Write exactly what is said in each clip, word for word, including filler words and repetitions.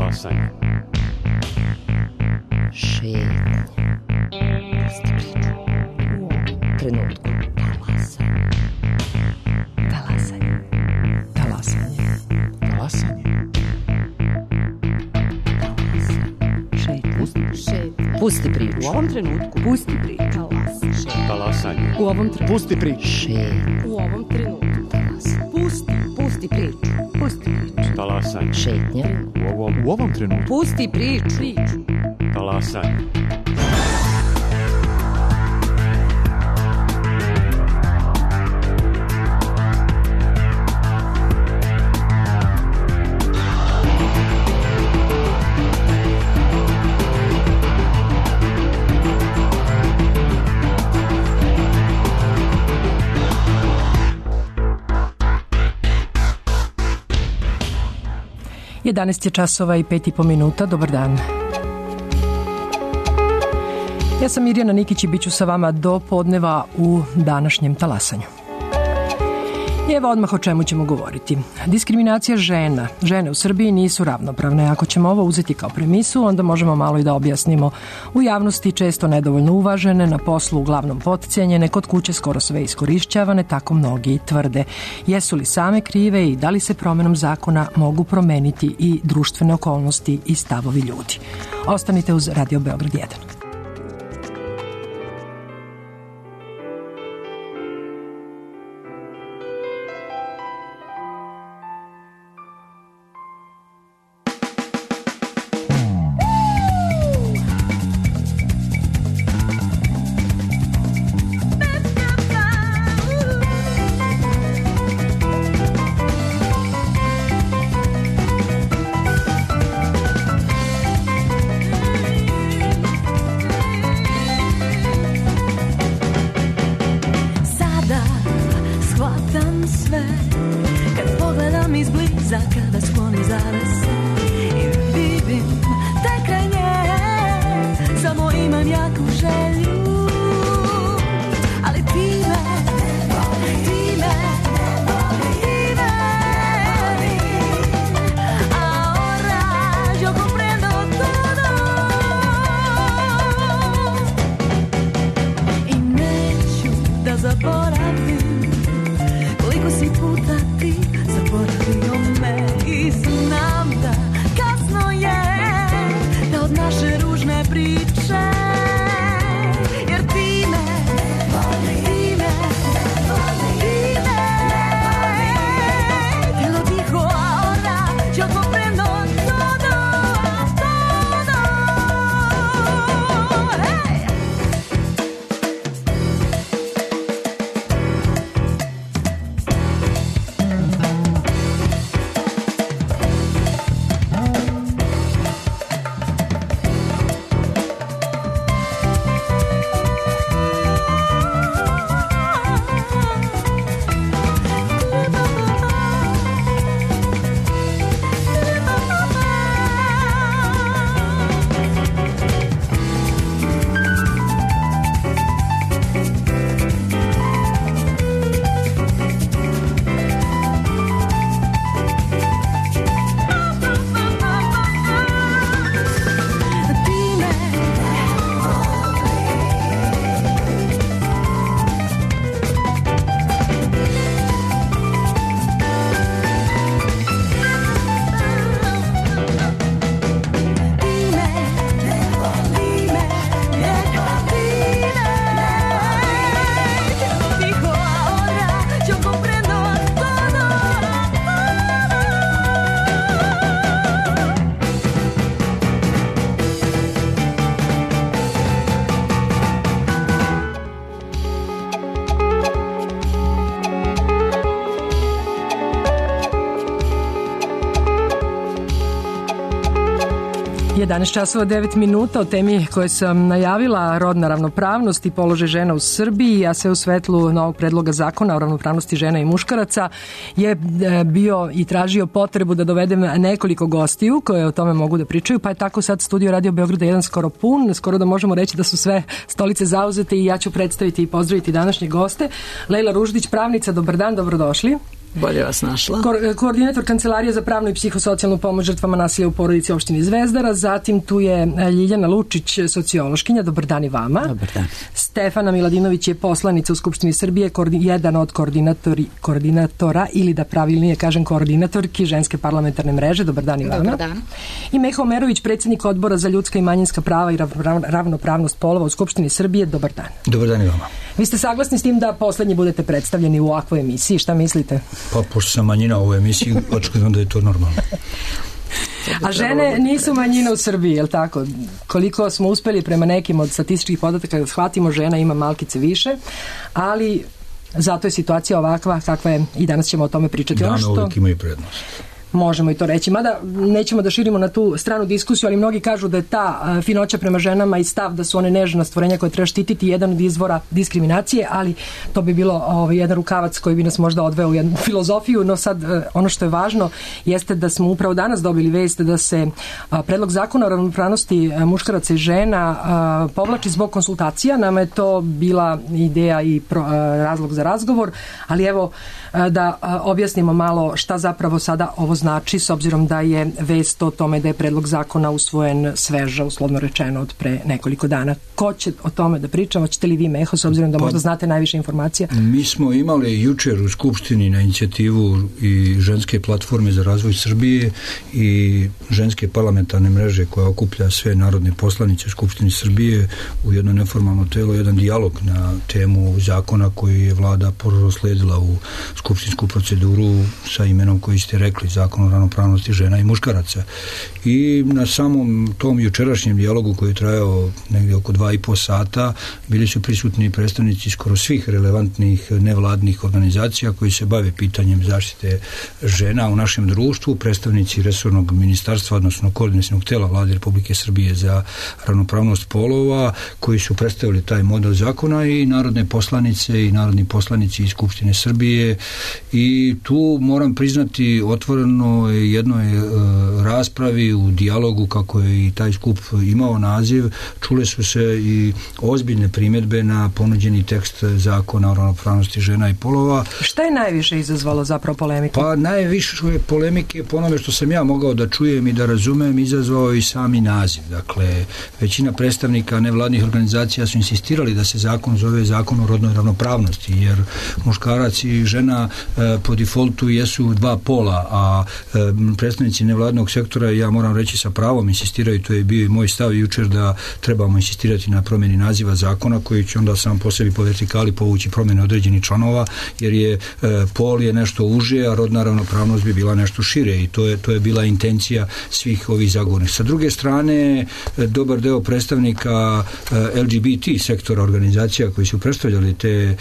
Talasanje. Šetnja. Pusti priču. U ovom trenutku. Talasanje. Talasanje. Talasanje. Talasanje. Šetnja. Pusti, Šetnja. Pusti priču. U ovom trenutku. Pusti priču. Talasanje. talasanje. U ovom trenutku. Pusti priču. Šetnja. U ovom trenutku. Talasanje. Pusti. Pusti priču. Pusti priču. Talasanje. Šetnja. U ovom, u ovom trenutku. Pusti priču. Priču. Talasanje. jedanaest je časova i pet i po minuta. Dobar dan. Ja sam Mirjana Nikić i bit ću sa vama do podneva u današnjem talasanju. I evo odmah o čemu ćemo govoriti. Diskriminacija žena. Žene u Srbiji nisu ravnopravne. Ako ćemo ovo uzeti kao premisu, onda možemo malo i da objasnimo. U javnosti često nedovoljno uvažene, na poslu uglavnom potcijenjene, kod kuće skoro sve iskorišćavane, tako mnogi tvrde. Jesu li same krive i da li se promjenom zakona mogu promeniti i društvene okolnosti i stavovi ljudi? Ostanite uz Radio Beograd jedan. jedanaest časova devet minuta o temi koje sam najavila, rodna ravnopravnost i položaj žena u Srbiji, a sve u svetlu novog predloga zakona o ravnopravnosti žena i muškaraca je bio i tražio potrebu da dovedem nekoliko gostiju koje o tome mogu da pričaju, pa je tako sad studio Radio Beograda jedan skoro pun, skoro da možemo reći da su sve stolice zauzete i ja ću predstaviti i pozdraviti današnje goste. Lejla Ruždić, pravnica, dobar dan, dobrodošli. Bolje vas našla. Ko- koordinator Kancelarije za pravnu i psihosocijalnu pomoć žrtvama nasilja u porodici opštine Zvezdara, zatim tu je Ljiljana Lučić, sociološkinja, dobar dan i vama. Dobar dan. Stefana Miladinović je poslanica u Skupštini Srbije, koordi- jedan od koordinatori, koordinatora ili da pravilnije kažem koordinatorki Ženske parlamentarne mreže, dobar dan i vama. Dobar dan. I Meho Omerović, predsjednik Odbora za ljudska i manjinska prava i rav- ravnopravnost polova u Skupštini Srbije, dobar dan. Dobar dan i vama. Vi ste saglasni s tim da poslednji budete predstavljeni u ovakvoj emisiji, šta mislite? Pa, pošto sam manjina u ovoj emisiji, očekujem da je to normalno. A žene nisu manjina u Srbiji, je li tako? Koliko smo uspeli prema nekim od statističkih podataka da shvatimo, žena ima malkice više, ali zato je situacija ovakva kakva je i danas ćemo o tome pričati. Dane Ono što uvijek imaju prednost. možemo i to reći, mada nećemo da širimo na tu stranu diskusiju, ali mnogi kažu da je ta a, finoća prema ženama i stav da su one nežna stvorenja koje treba štititi jedan od izvora diskriminacije, ali to bi bilo ovaj, jedan rukavac koji bi nas možda odveo u jednu filozofiju, no sad a, ono što je važno jeste da smo upravo danas dobili vest da se a, predlog zakona o ravnopravnosti a, muškaraca i žena a, povlači zbog konsultacija. Nama je to bila ideja i pro, a, razlog za razgovor, ali evo a, da a, objasnimo malo šta zapravo sada ovo znači, s obzirom da je vest o tome da je predlog zakona usvojen sveža, uslovno rečeno, od pre nekoliko dana. Ko će o tome da pričamo? Hoćete li vi, Meho, s obzirom da Pa, možda znate najviše informacija? Mi smo imali jučer u Skupštini na inicijativu i Ženske platforme za razvoj Srbije i Ženske parlamentarne mreže koja okuplja sve narodne poslanice u Skupštini Srbije u jedno neformalno telo, jedan dijalog na temu zakona koji je vlada prosledila u skupštinsku proceduru sa imenom koji ste rekli, zakon o ravnopravnosti žena i muškaraca. I na samom tom jučerašnjem dijalogu koji je trajao negdje oko dva i po sata bili su prisutni predstavnici skoro svih relevantnih nevladnih organizacija koji se bave pitanjem zaštite žena u našem društvu, predstavnici resornog ministarstva, odnosno koordinacionog tela Vlade Republike Srbije za ravnopravnost polova, koji su predstavili taj model zakona, i narodne poslanice i narodni poslanici iz Skupštine Srbije. I tu moram priznati otvoreno jednoj e, raspravi u dijalogu, kako je i taj skup imao naziv, čule su se i ozbiljne primjedbe na ponuđeni tekst zakona o ravnopravnosti žena i polova. Šta je najviše izazvalo zapravo polemike? Pa najviše polemike, po onome što sam ja mogao da čujem i da razumem, izazvao i sami naziv. Dakle, većina predstavnika nevladnih organizacija su insistirali da se zakon zove zakon o rodnoj ravnopravnosti, jer muškarac i žena e, po defaultu jesu dva pola, a e, predstavnici nevladnog sektora, ja moram reći sa pravom insistiraju, to je bio i moj stav jučer, da trebamo insistirati na promjeni naziva zakona koji će onda sam po sebi po vertikali povući promjene određenih članova, jer je e, pol je nešto uže, a rodna ravnopravnost bi bila nešto šire, i to je, to je bila intencija svih ovih zagovornika. Sa druge strane, e, dobar deo predstavnika e, L G B T sektora organizacija koji su predstavljali te e,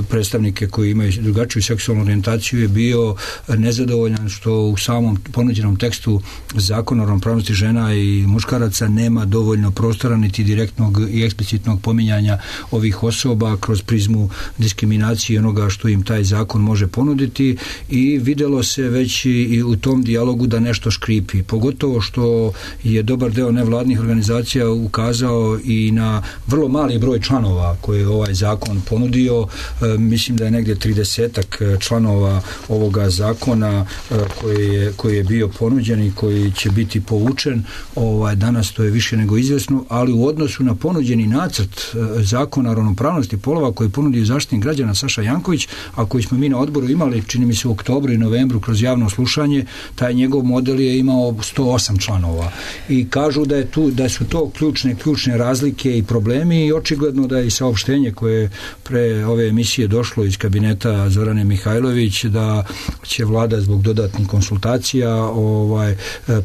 predstavnike koji imaju drugačiju seksualnu orijentaciju je bio nezadovoljan što u samom ponuđenom tekstu zakona o ravnopravnosti žena i muškaraca nema dovoljno prostora niti direktnog i eksplicitnog pominjanja ovih osoba kroz prizmu diskriminacije i onoga što im taj zakon može ponuditi, i videlo se već i u tom dijalogu da nešto škripi, pogotovo što je dobar deo nevladnih organizacija ukazao i na vrlo mali broj članova koje je ovaj zakon ponudio. E, mislim da je negdje tridesetak članova ovoga zakona e, koji je, koji je bio ponuđen i koji će biti povučen. Ovaj, danas to je više nego izvesno, ali u odnosu na ponuđeni nacrt e, zakona o ravnopravnosti polova koji ponudio Zaštitnik građana Saša Janković, a koji smo mi na odboru imali, čini mi se u oktobru i novembru kroz javno slušanje, taj njegov model je imao sto osam članova. I kažu da je tu, da su to ključne, ključne razlike i problemi, i očigledno da je i saopštenje koje pre ove emisije došlo iz kabineta Zorane Mihajlović, da će vlada zbog dodatnih konsultacija ovaj,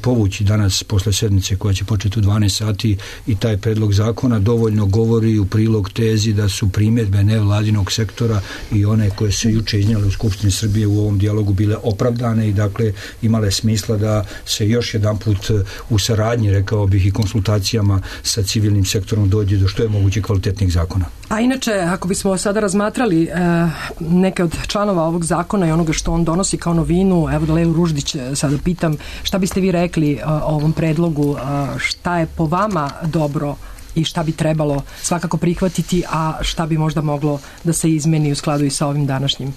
povući danas posle sednice koja će početi u dvanaest sati i taj predlog zakona, dovoljno govori u prilog tezi da su primjedbe nevladinog sektora i one koje se juče iznijele u Skupštini Srbije u ovom dijalogu bile opravdane i dakle imale smisla da se još jedan put u saradnji, rekao bih, i konsultacijama sa civilnim sektorom dođe do što je moguće kvalitetnih zakona. A inače, ako bismo sada razmatrali e, neke od članova ovog zakona i onoga što on donosi kao novinu, evo da Leu Ruždić sada pitam, šta biste vi rekli o ovom predlogu, šta je po vama dobro i šta bi trebalo svakako prihvatiti, a šta bi možda moglo da se izmeni u skladu i sa ovim današnjim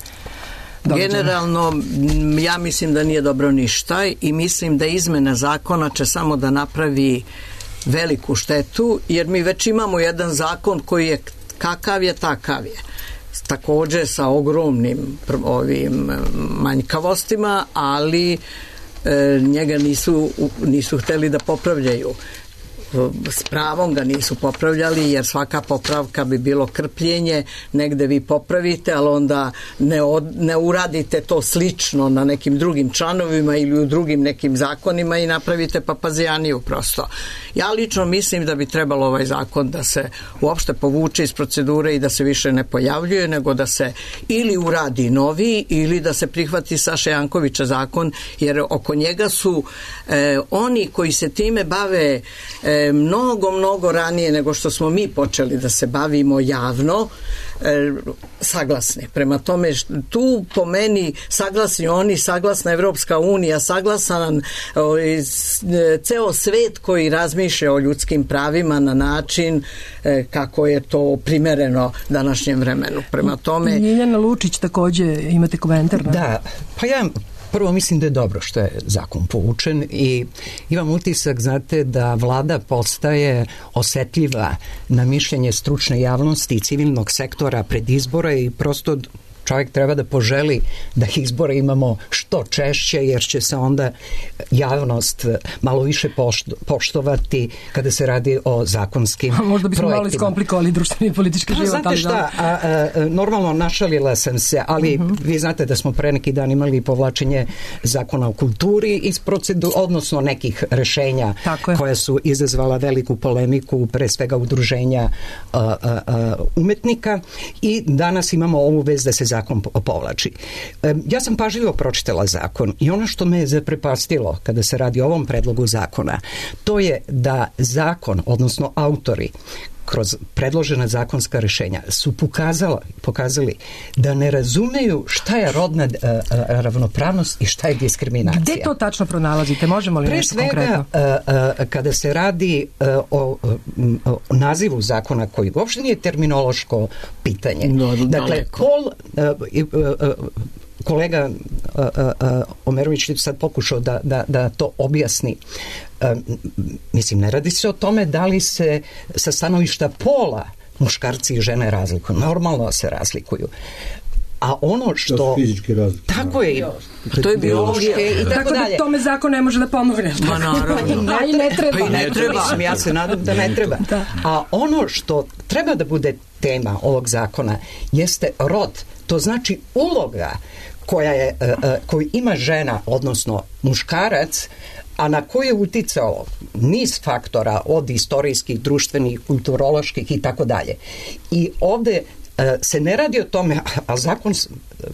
događaja? Generalno, ja mislim da nije dobro ništa i mislim da izmena zakona će samo da napravi veliku štetu, jer mi već imamo jedan zakon koji je kakav je, takav je. Također sa ogromnim ovim manjkavostima, ali e, njega nisu, nisu hteli da popravljaju. S pravom ga nisu popravljali, jer svaka popravka bi bilo krpljenje, negde vi popravite, ali onda ne, od, ne uradite to slično na nekim drugim članovima ili u drugim nekim zakonima i napravite papazijaniju prosto. Ja lično mislim da bi trebalo ovaj zakon da se uopšte povuče iz procedure i da se više ne pojavljuje, nego da se ili uradi novi ili da se prihvati Saša Jankovića zakon, jer oko njega su eh, oni koji se time bave eh, mnogo, mnogo ranije nego što smo mi počeli da se bavimo javno, e, saglasni. Prema tome, tu po meni saglasni oni, saglasna Evropska unija, saglasan o, e, ceo svet koji razmišlja o ljudskim pravima na način e, kako je to primereno današnjem vremenu. Prema tome... Ljiljana Lučić, takođe imate komentar? Ne? Da, pa ja prvo mislim da je dobro što je zakon povučen i imam utisak, znate, da vlada postaje osetljiva na mišljenje stručne javnosti i civilnog sektora pred izbore i prosto čovjek treba da poželi da izbore imamo što češće, jer će se onda javnost malo više poštovati kada se radi o zakonskim projektima. Možda bismo malo iskomplikovali društveni i politički život. Znate šta, a, a, normalno našalila sam se, ali uh-huh. vi znate da smo pre neki dan imali povlačenje zakona o kulturi iz procedura, odnosno nekih rešenja koja su izazvala veliku polemiku, pre svega udruženja a, a, a, umetnika, i danas imamo ovu vez da se zakon povlači. Ja sam pažljivo pročitala zakon i ono što me je zaprepastilo kada se radi o ovom predlogu zakona, to je da zakon, odnosno autori kroz predložena zakonska rešenja su pokazala, pokazali da ne razumeju šta je rodna uh, ravnopravnost i šta je diskriminacija. Gde to tačno pronalazite? Možemo li Pre nešto svega, konkretno? Uh, uh, kada se radi uh, o, um, o nazivu zakona koji uopšte nije terminološko pitanje. No, dakle, pol... Uh, uh, uh, kolega uh, uh, Omerović je sad pokušao da, da, da to objasni. Uh, mislim, ne radi se o tome da li se sa stanovišta pola muškarci i žene razlikuju. Normalno se razlikuju. A ono što... To su fizički razlike. Tako je. To je biologija. I tako, tako da dalje. Tome zakon ne može da pomogne. Ma naravno. A i ne treba. Pa i ne treba. Ja se nadam da ne treba. Da. A ono što treba da bude tema ovog zakona jeste rod. To znači uloga koja je, koju ima žena, odnosno muškarac, a na koje je uticao niz faktora od istorijskih, društvenih, kulturoloških i tako dalje. I ovde se ne radi o tome, a zakon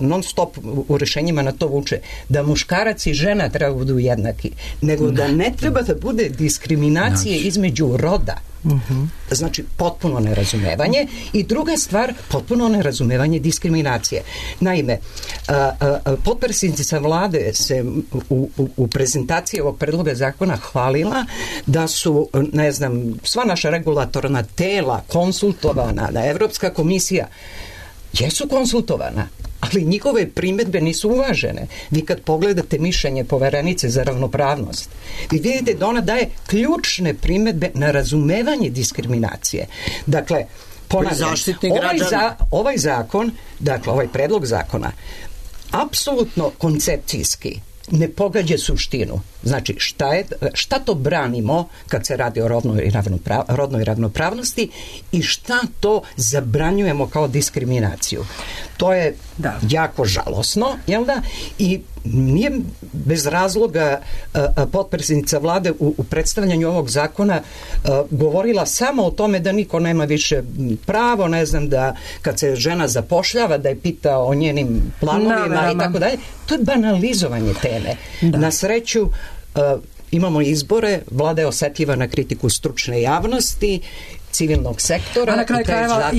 non stop u rešenjima na to vuče, da muškarac i žena treba budu jednaki, nego da ne treba da bude diskriminacije između roda. Uh-huh. Znači potpuno nerazumevanje. I druga stvar, potpuno nerazumevanje diskriminacije. Naime, potpredsjednica vlade se u, u, u prezentaciji ovog predloga zakona hvalila da su, ne znam, sva naša regulatorna tela konsultovana, da Evropska komisija jesu konsultovana, ali njihove primedbe nisu uvažene. Vi kad pogledate mišljenje Poverenice za ravnopravnost, vi vidite da ona daje ključne primedbe na razumevanje diskriminacije. Dakle, ponavljam, ovaj, za, ovaj zakon, dakle, ovaj predlog zakona, apsolutno koncepcijski ne pogađa suštinu. Znači, šta, je, šta to branimo kad se radi o rodnoj, ravnoprav, rodnoj ravnopravnosti i šta to zabranjujemo kao diskriminaciju. To je da. jako žalosno, jel da? I nije bez razloga a, a, potpredsjednica vlade u, u predstavljanju ovog zakona a, govorila samo o tome da niko nema više pravo, ne znam, da kad se žena zapošljava da je pita o njenim planovima no, i tako dalje. To je banalizovanje teme. Da. Na sreću uh, imamo izbore, vlada je osetljiva na kritiku stručne javnosti, civilnog sektora, a na kraju krajeva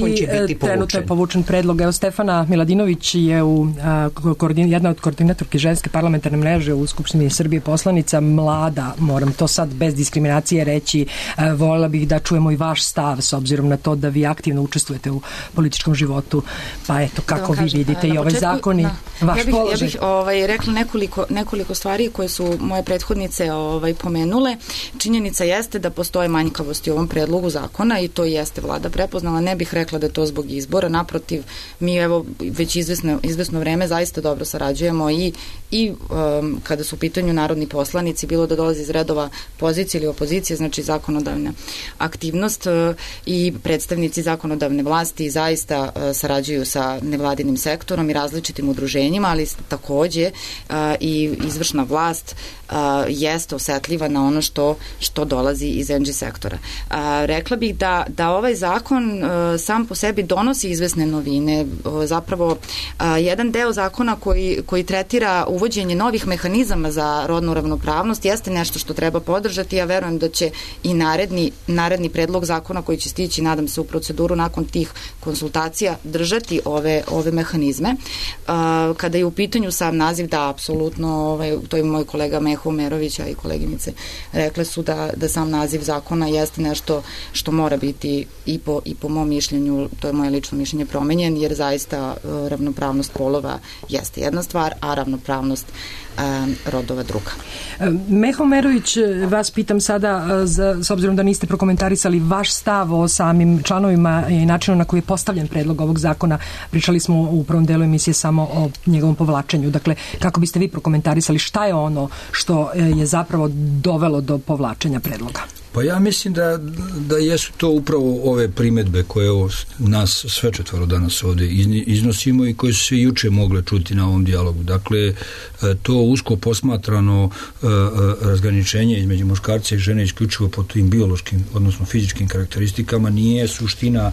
i trenutno je povučen predlog. Evo, Stefana Miladinović je u, a, koordin, jedna od koordinatorki ženske parlamentarne mreže u Skupštini Srbije, poslanica mlada, moram to sad bez diskriminacije reći, a, voljela bih da čujemo i vaš stav s obzirom na to da vi aktivno učestvujete u političkom životu, pa eto, kako da vi kažem, vidite i ovaj zakon. vaš ja bih, položaj. Ja bih ovaj, rekla nekoliko, nekoliko stvari koje su moje prethodnice ovaj, pomenule. Činjenica jeste da postoje manjkavosti u ovom predlogu zakona i to jeste vlada prepoznala. Ne bih rekla da je to zbog izbora. Naprotiv, mi evo već izvesno, izvesno vreme zaista dobro sarađujemo i, i um, kada su u pitanju narodni poslanici, bilo da dolazi iz redova pozicije ili opozicije, znači zakonodavna aktivnost uh, i predstavnici zakonodavne vlasti zaista uh, sarađuju sa nevladinim sektorom i različitim udruženjima, ali takođe uh, i izvršna vlast uh, jeste osetljiva na ono što, što dolazi iz en dži sektora. Uh, rekla bih da, da ovaj zakon uh, sam po sebi donosi izvesne novine. Uh, zapravo, uh, jedan deo zakona koji, koji tretira uvođenje novih mehanizama za rodnu ravnopravnost jeste nešto što treba podržati. Ja verujem da će i naredni, naredni predlog zakona koji će stići, nadam se, u proceduru nakon tih konsultacija držati ove, ove mehanizme. Uh, kada je u pitanju sam naziv, da, apsolutno, ovaj, to je moj kolega Meho Merović, a i koleginice rekle su da, da sam naziv zakona jeste nešto što mora biti i po, i po mom mišljenju, to je moje lično mišljenje, promenjen, jer zaista uh, ravnopravnost polova jeste jedna stvar, a ravnopravnost um, rodova druga. Meho Merović, vas pitam sada, za, s obzirom da niste prokomentarisali vaš stav o samim članovima i načinu na koji je postavljen predlog ovog zakona. Pričali smo u prvom delu emisije samo o njegovom povlačenju. Dakle, kako biste vi prokomentarisali šta je ono što je zapravo dovelo do povlačenja predloga? Pa ja mislim da, da jesu to upravo ove primedbe koje ovo, nas sve četvoro danas ovde iznosimo i koje su se juče mogle čuti na ovom dijalogu. Dakle, to usko posmatrano razgraničenje između muškarca i žene isključivo po tim biološkim, odnosno fizičkim karakteristikama nije suština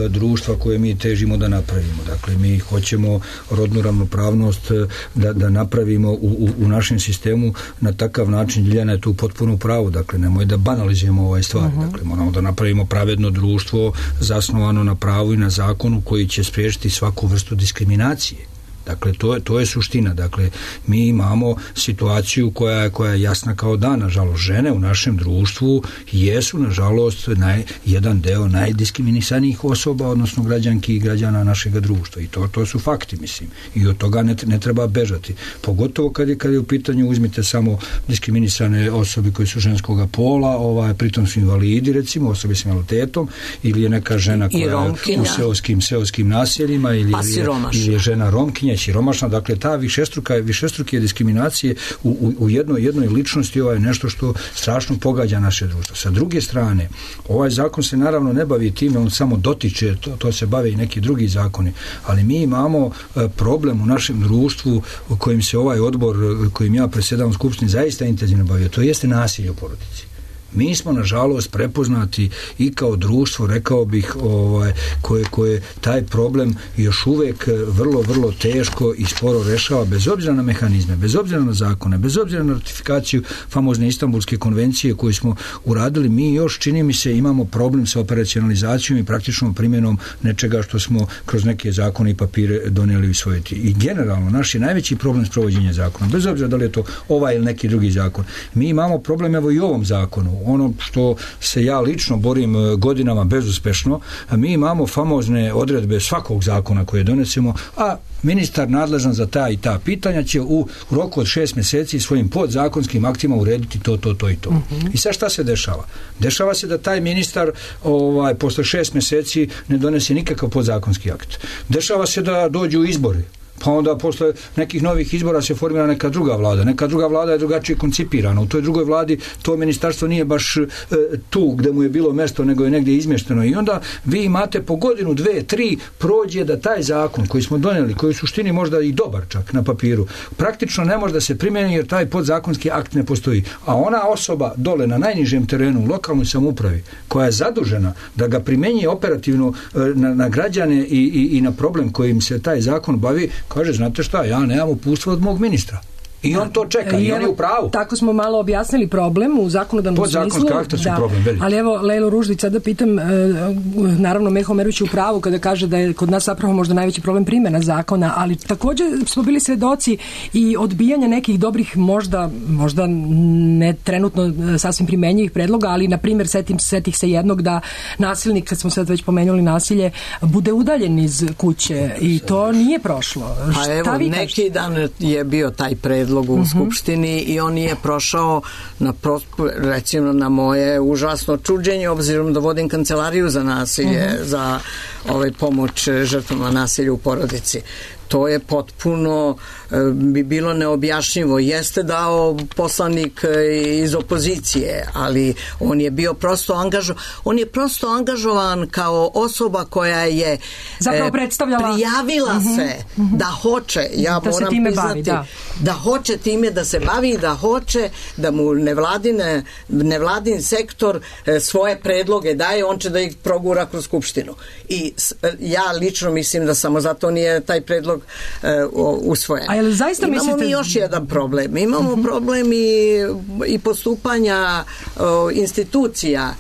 društva koje mi težimo da napravimo. Dakle, mi hoćemo rodnu ravnopravnost da, da napravimo u, u, u našem sistemu na takav način. Ljiljana je tu potpuno pravo. Dakle, nemoj da banalizujemo ovaj stvari. Uh-huh. Dakle, moramo da napravimo pravedno društvo zasnovano na pravu i na zakonu koji će spriječiti svaku vrstu diskriminacije. Dakle, to je, to je suština. Dakle, mi imamo situaciju koja je, koja je jasna kao dan. Nažalost, žene u našem društvu jesu, nažalost, naj, jedan deo najdiskriminisanijih osoba, odnosno građanki i građana našeg društva. I to, to su fakti, mislim. I od toga ne, ne treba bežati. Pogotovo kad je, kad je u pitanju, uzmite samo diskriminisane osobe koje su ženskoga pola, ovaj, pritom su invalidi, recimo, osobe s invaliditetom, ili je neka žena koja je u seoskim, seoskim naseljima, ili, pa ili, je, ili je žena romkinja, siromašna. Dakle, ta višestruka, višestruke diskriminacije u, u, u jednoj, jednoj ličnosti ovo je nešto što strašno pogađa naše društvo. Sa druge strane, ovaj zakon se naravno ne bavi time, on samo dotiče, to, to se bave i neki drugi zakoni, ali mi imamo problem u našem društvu u kojim se ovaj odbor, kojim ja predsjedavam Skupštini, zaista intenzivno bavio. To jeste nasilje u porodici. Mi smo, nažalost, prepoznati i kao društvo, rekao bih, ovaj, koje, koje taj problem još uvek vrlo, vrlo teško i sporo rešava, bez obzira na mehanizme, bez obzira na zakone, bez obzira na ratifikaciju famozne Istanbulske konvencije koju smo uradili. Mi još, čini mi se, imamo problem sa operacionalizacijom i praktičnom primjenom nečega što smo kroz neke zakone i papire donijeli i usvojiti. I generalno, naš je najveći problem sprovođenja zakona, bez obzira da li je to ovaj ili neki drugi zakon. Mi imamo problem, evo, i u ovom zakonu. Ono što se ja lično borim godinama bezuspešno, mi imamo famozne odredbe svakog zakona koje donesemo, a ministar nadležan za ta i ta pitanja će u roku od šest mjeseci svojim podzakonskim aktima urediti to, to, to i to. Uh-huh. I sad šta se dešava? Dešava se da taj ministar ovaj, posle šest mjeseci ne donese nikakav podzakonski akt. Dešava se da dođu izbori. Pa onda posle nekih novih izbora se formira neka druga vlada. Neka druga vlada je drugačije koncipirana. U toj drugoj vladi to ministarstvo nije baš e, tu gde mu je bilo mesto, nego je negdje izmješteno. I onda vi imate po godinu, dve, tri prođe da taj zakon koji smo donijeli, koji u suštini možda i dobar čak na papiru, praktično ne može da se primjeni jer taj podzakonski akt ne postoji. A ona osoba dole na najnižem terenu, u lokalnoj samoupravi, koja je zadužena da ga primjenjuje operativno e, na, na građane i, i, i na problem kojim se taj zakon bavi, kaže, znate šta, ja nemam uputstva od mog ministra. I on to čeka i, i on je u pravu. Tako smo malo objasnili problem u zakonodavnom smislu. Podzakonski karakter su da, problem, veliki. Ali evo, Lejlo Ruždić, sada pitam, e, naravno Meho Merović je u pravu kada kaže da je kod nas zapravo možda najveći problem primjena zakona, ali također smo bili svedoci i odbijanja nekih dobrih, možda, možda ne trenutno sasvim primenjivih predloga, ali na primjer setim, setih se jednog da nasilnik, kad smo sad već pomenuli nasilje, bude udaljen iz kuće i to nije prošlo. Pa Šta evo, vi neki kažete? dan je bio taj predlog u uh-huh. Skupštini i on nije prošao na, recimo, na moje užasno čuđenje, obzirom da vodim kancelariju za nasilje, uh-huh. za ovaj, pomoć žrtvama nasilja u porodici. To je potpuno bi bilo neobjašnjivo. Jeste dao poslanik iz opozicije, ali on je bio prosto angažovan, on je prosto angažovan kao osoba koja je zapravo predstavljala, prijavila uh-huh. se uh-huh. da hoće, ja da moram priznati, bavi, da. da hoće time da se bavi, da hoće da mu nevladine, nevladin sektor svoje predloge daje, on će da ih progura kroz Skupštinu. I ja lično mislim da samo zato nije taj predlog uh, usvojen. A jel zaista imamo mislite... mi još jedan problem. Imamo uh-huh. problem i, i postupanja uh, institucija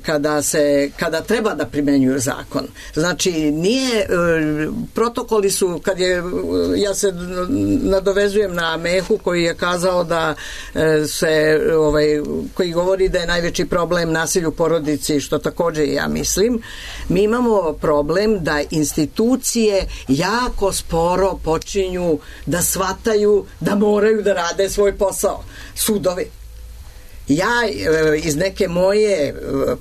kada se kada treba da primenjuju zakon. Znači nije protokoli su, kad je, ja se nadovezujem na Mehu koji je kazao da se ovaj, koji govori da je najveći problem nasilje u porodici, što također ja mislim. Mi imamo problem da institucije jako sporo počinju da shvataju da moraju da rade svoj posao. Sudovi. Ja iz neke moje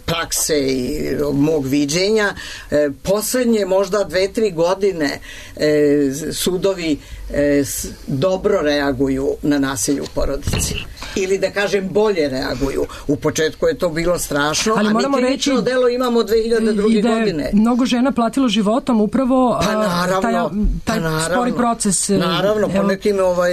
prakse i mog viđenja poslednje možda dve, tri godine sudovi dobro reaguju na nasilje u porodici. Ili da kažem bolje reaguju. U početku je to bilo strašno, ali a mi krivično reći, delo imamo dve hiljade druge godine. Mnogo žena platilo životom upravo pa naravno, taj, taj pa naravno, spori proces. Naravno, po nekim ovaj,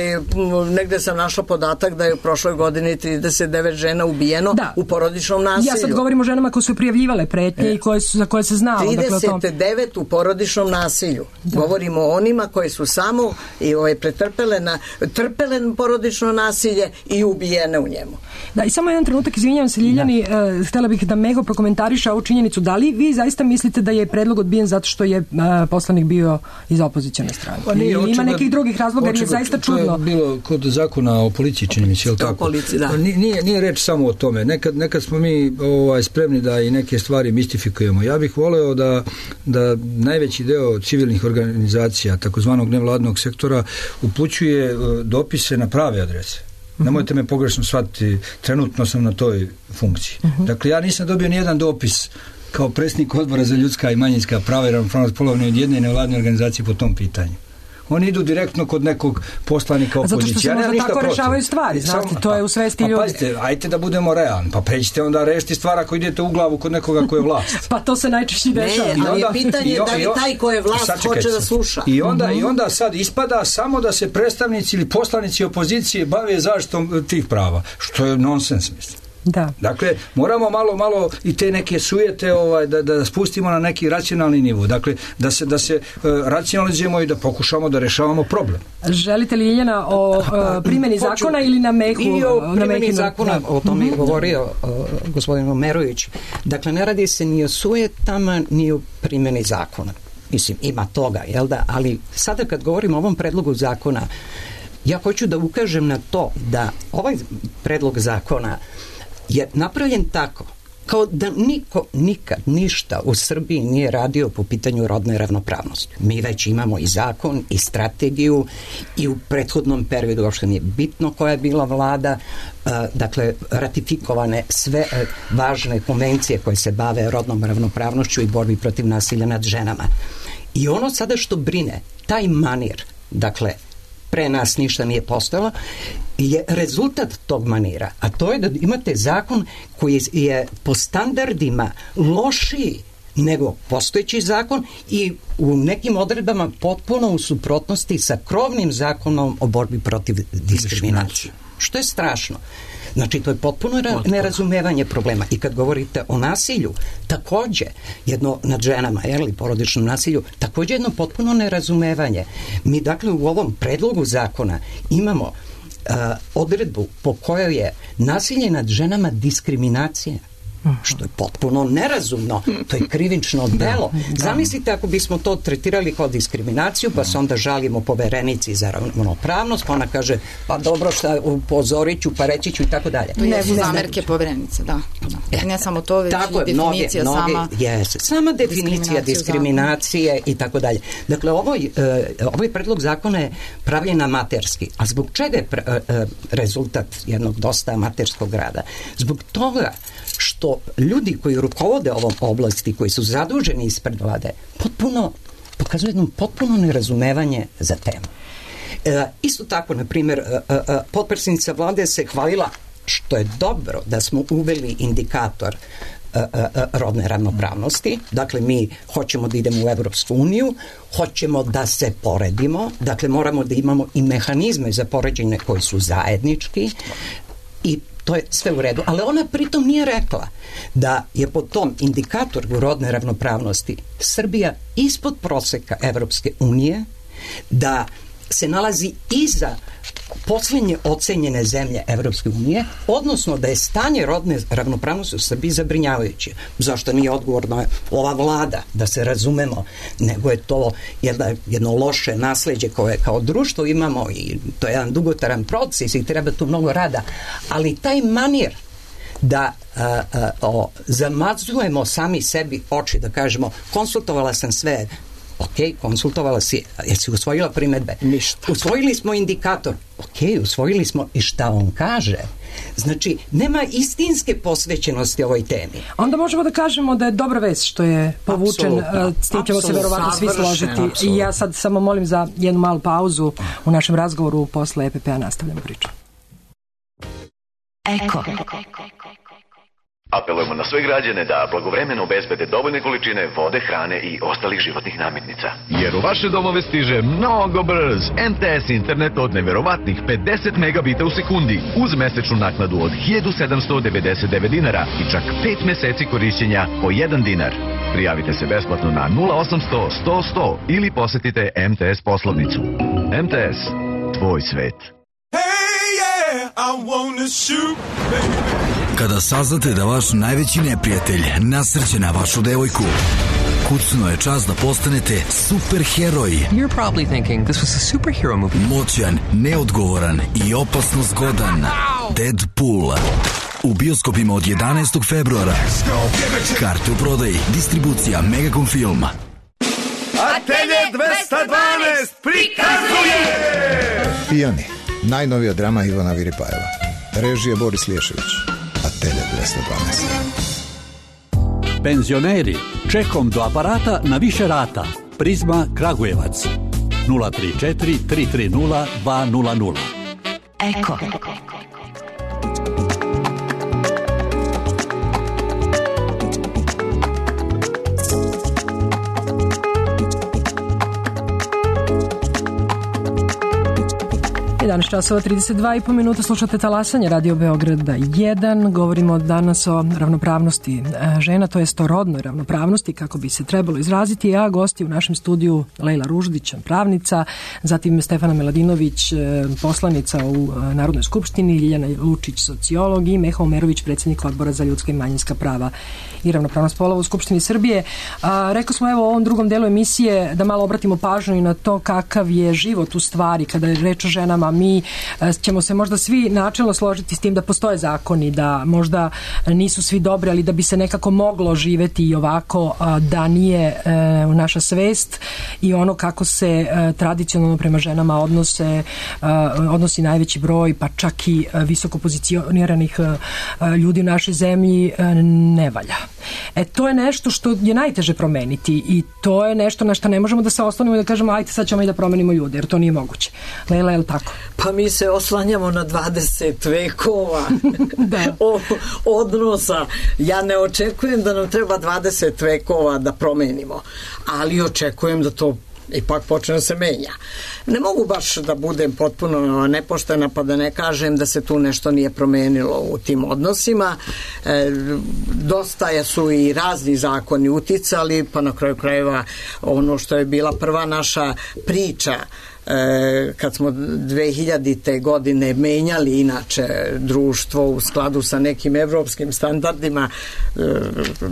negde sam našla podatak da je u prošloj godini trideset devet žena ubijeno da. u porodičnom nasilju. Ja sad govorim o ženama koje su prijavljivale pretnje e. i koje su, za koje se znalo. trideset devet dakle, u porodičnom nasilju. Da. Govorimo o onima koje su samo i ovaj, pretrpele na, trpele porodično nasilje i ubijene u njemu. Da, i samo jedan trenutak, izvinjavam se Ljiljani, uh, htjela bih da Meho prokomentariše ovu činjenicu. Da li vi zaista mislite da je predlog odbijen zato što je uh, poslanik bio iz opozicione strane? Pa nije, očigledno, ima nekih drugih razloga jer je zaista čudno. To je bilo kod zakona o policiji, čini mi se, jel tako? Policiji, da. Nije, nije reč samo o tome. Nekad, nekad smo mi ovaj, spremni da i neke stvari mistifikujemo. Ja bih voleo da, da najveći deo civilnih organizacija, takozvanog nevladnog sektora, upućuje uh, dopise na prave adrese. Nemojte me pogrešno shvatiti, trenutno sam na toj funkciji. Uh-huh. Dakle, ja nisam dobio ni jedan dopis kao predsjednik odbora za ljudska i manjinska prava i ravnopravnost polova ni od jedne nevladne organizacije po tom pitanju. Oni idu direktno kod nekog poslanika opozicije. Zato što se ja možda tako protiv. rešavaju stvari, znate, Sam, to je u svesti pa, ljudi. Pa pazite, ajte da budemo realni, pa pređite onda rešiti stvar ako idete u glavu kod nekoga ko je vlast. Pa to se najčešće dešava. Ne, ali je pitanje i, da li taj ko je vlast hoće da sluša. I onda, uh-huh. I onda sad ispada samo da se predstavnici ili poslanici opozicije bave zaštitom tih prava, što je nonsens, mislim. Da. Dakle, moramo malo, malo i te neke sujete ovaj, da, da spustimo na neki racionalni nivo. Dakle, da se, da se uh, racionalizujemo i da pokušamo da rešavamo problem. Želite li, Ljiljana, o uh, primjeni Hoću, zakona ili na Mehu? I o primjeni na zakona, o tome je govorio uh, gospodin Omerović. Dakle, ne radi se ni o sujetama, ni o primjeni zakona. Mislim, ima toga, jel da? Ali sada kad govorimo o ovom predlogu zakona, ja hoću da ukažem na to da ovaj predlog zakona je napravljen tako kao da niko nikad ništa u Srbiji nije radio po pitanju rodne ravnopravnosti. Mi već imamo i zakon i strategiju i u prethodnom periodu uopšte nije bitno koja je bila vlada, uh, dakle ratifikovane sve uh, važne konvencije koje se bave rodnom ravnopravnošću i borbi protiv nasilja nad ženama. I ono sada što brine, taj manir, dakle pre nas ništa nije postojalo, je rezultat tog manira, a to je da imate zakon koji je po standardima lošiji nego postojeći zakon i u nekim odredbama potpuno u suprotnosti sa krovnim zakonom o borbi protiv diskriminacije. Što je strašno. Znači, to je potpuno ra- nerazumevanje problema. I kad govorite o nasilju, takođe, jedno nad ženama, ili porodičnom nasilju, takođe jedno potpuno nerazumevanje. Mi, dakle, u ovom predlogu zakona imamo odredbu po kojoj je nasilje nad ženama diskriminacija, što je potpuno nerazumno, to je krivično delo. Zamislite ako bismo to tretirali kao diskriminaciju, pa se onda žalimo Poverenici za ravnopravnost, pa ona kaže, pa dobro, šta, upozorit ću, pa reći ću i tako dalje. To jesu zamerke Poverenice, da. da. Ne samo to, već tako i definicija mnoge, sama. Mnoge, yes, sama definicija diskriminacije i tako dalje. Dakle, ovaj, ovaj predlog zakona je pravljen amaterski. A zbog čega je rezultat jednog dosta amaterskog rada? Zbog toga što ljudi koji rukovode ovom oblasti, koji su zaduženi ispred vlade, potpuno, pokazuju jedno potpuno nerazumevanje za temu. E, isto tako, na primjer, e, e, potpredsjednica vlade se hvalila, što je dobro da smo uveli indikator e, e, rodne ravnopravnosti. Dakle, mi hoćemo da idemo u Evropsku uniju, hoćemo da se poredimo, dakle, moramo da imamo i mehanizme za poređenje koji su zajednički i to je sve u redu, ali ona pritom nije rekla da je po tom indikatoru rodne ravnopravnosti Srbija ispod proseka Evropske unije, da se nalazi iza poslednje ocenjene zemlje Evropske unije, odnosno da je stanje rodne ravnopravnosti u Srbiji zabrinjavajuće. Zašto nije odgovorna ova vlada, da se razumemo, nego je to jedno, jedno loše nasleđe koje kao društvo imamo i to je jedan dugotrajan proces i treba tu mnogo rada, ali taj manir da a, a, o, zamazujemo sami sebi oči, da kažemo konsultovala sam sve, ok, konsultovala si, jesi usvojila primedbe? Ništa. Usvojili smo indikator, ok, usvojili smo i šta on kaže. Znači, nema istinske posvećenosti ovoj temi. Onda možemo da kažemo da je dobra vest što je povučen, s tim ćemo se verovatno svi složiti. Absolutno. I ja sad samo molim za jednu malu pauzu u našem razgovoru, posle E P P-a nastavljamo priču. Eko. Apelujemo na sve građane da blagovremeno obezbede dovoljne količine vode, hrane i ostalih životnih namirnica. Jer u vaše domove stiže mnogo brz M T S internet od neverovatnih pedeset megabita u sekundi uz mesečnu naknadu od hiljadu sedamsto devedeset devet dinara i čak pet meseci korišćenja po jedan dinar. Prijavite se besplatno na nula osamsto sto sto ili posetite M T S poslovnicu. M T S, tvoj svet. Kada saznate da vaš najveći neprijatelj nasrće na vašu devojku, kucno je čas da postanete superheroj. You're probably thinking this was a superhero movie. Moćan, neodgovoran i opasno zgodan. Deadpool. U bioskopima od jedanaestog februara. Karte u prodaji. Distribucija Megacom Film. Atelje dvesta dvanaest prikazuje Pijani, najnovija drama Ivana Viripajeva. Režije Boris Lješević. Atelje dvesta dvanaest. Penzioneri, čekom do aparata na više rata. Prizma Kragujevac. nula tri četiri tri tri nula dva nula nula. Eko. jedanaest časova trideset dva i po minuta, slušate Talasanje Radio Beograda jedan. Govorimo danas o ravnopravnosti žena, to jest o rodnoj ravnopravnosti, kako bi se trebalo izraziti, a gosti u našem studiju Lejla Ruždić, pravnica, zatim Stefana Miladinović, poslanica u Narodnoj skupštini, Ljiljana Lučić, sociolog i Meha Omerović, predsjednik Odbora za ljudska i manjinska prava i ravnopravnost polova u Skupštini Srbije. A, rekao smo evo u ovom drugom delu emisije da malo obratimo pažnju i na to kakav je život u stvari kada je reč o ženama. Mi ćemo se možda svi načelno složiti s tim da postoje zakoni, da možda nisu svi dobri, ali da bi se nekako moglo živeti i ovako, da nije naša svest i ono kako se tradicionalno prema ženama odnose, odnosi najveći broj, pa čak i visoko pozicioniranih ljudi u našoj zemlji, ne valja. E, to je nešto što je najteže promeniti i to je nešto na što ne možemo da se oslonimo i da kažemo ajte sad ćemo i da promenimo ljude, jer to nije moguće. Lejla, je li tako? Pa mi se oslanjamo na dvadeset vekova o, odnosa. Ja ne očekujem da nam treba dvadeset vekova da promenimo, ali očekujem da to ipak počne da se menja. Ne mogu baš da budem potpuno nepoštena pa da ne kažem da se tu nešto nije promenilo u tim odnosima. E, dosta su i razni zakoni uticali, pa na kraju krajeva ono što je bila prva naša priča e, kad smo dve hiljadite godine menjali inače društvo u skladu sa nekim evropskim standardima, e,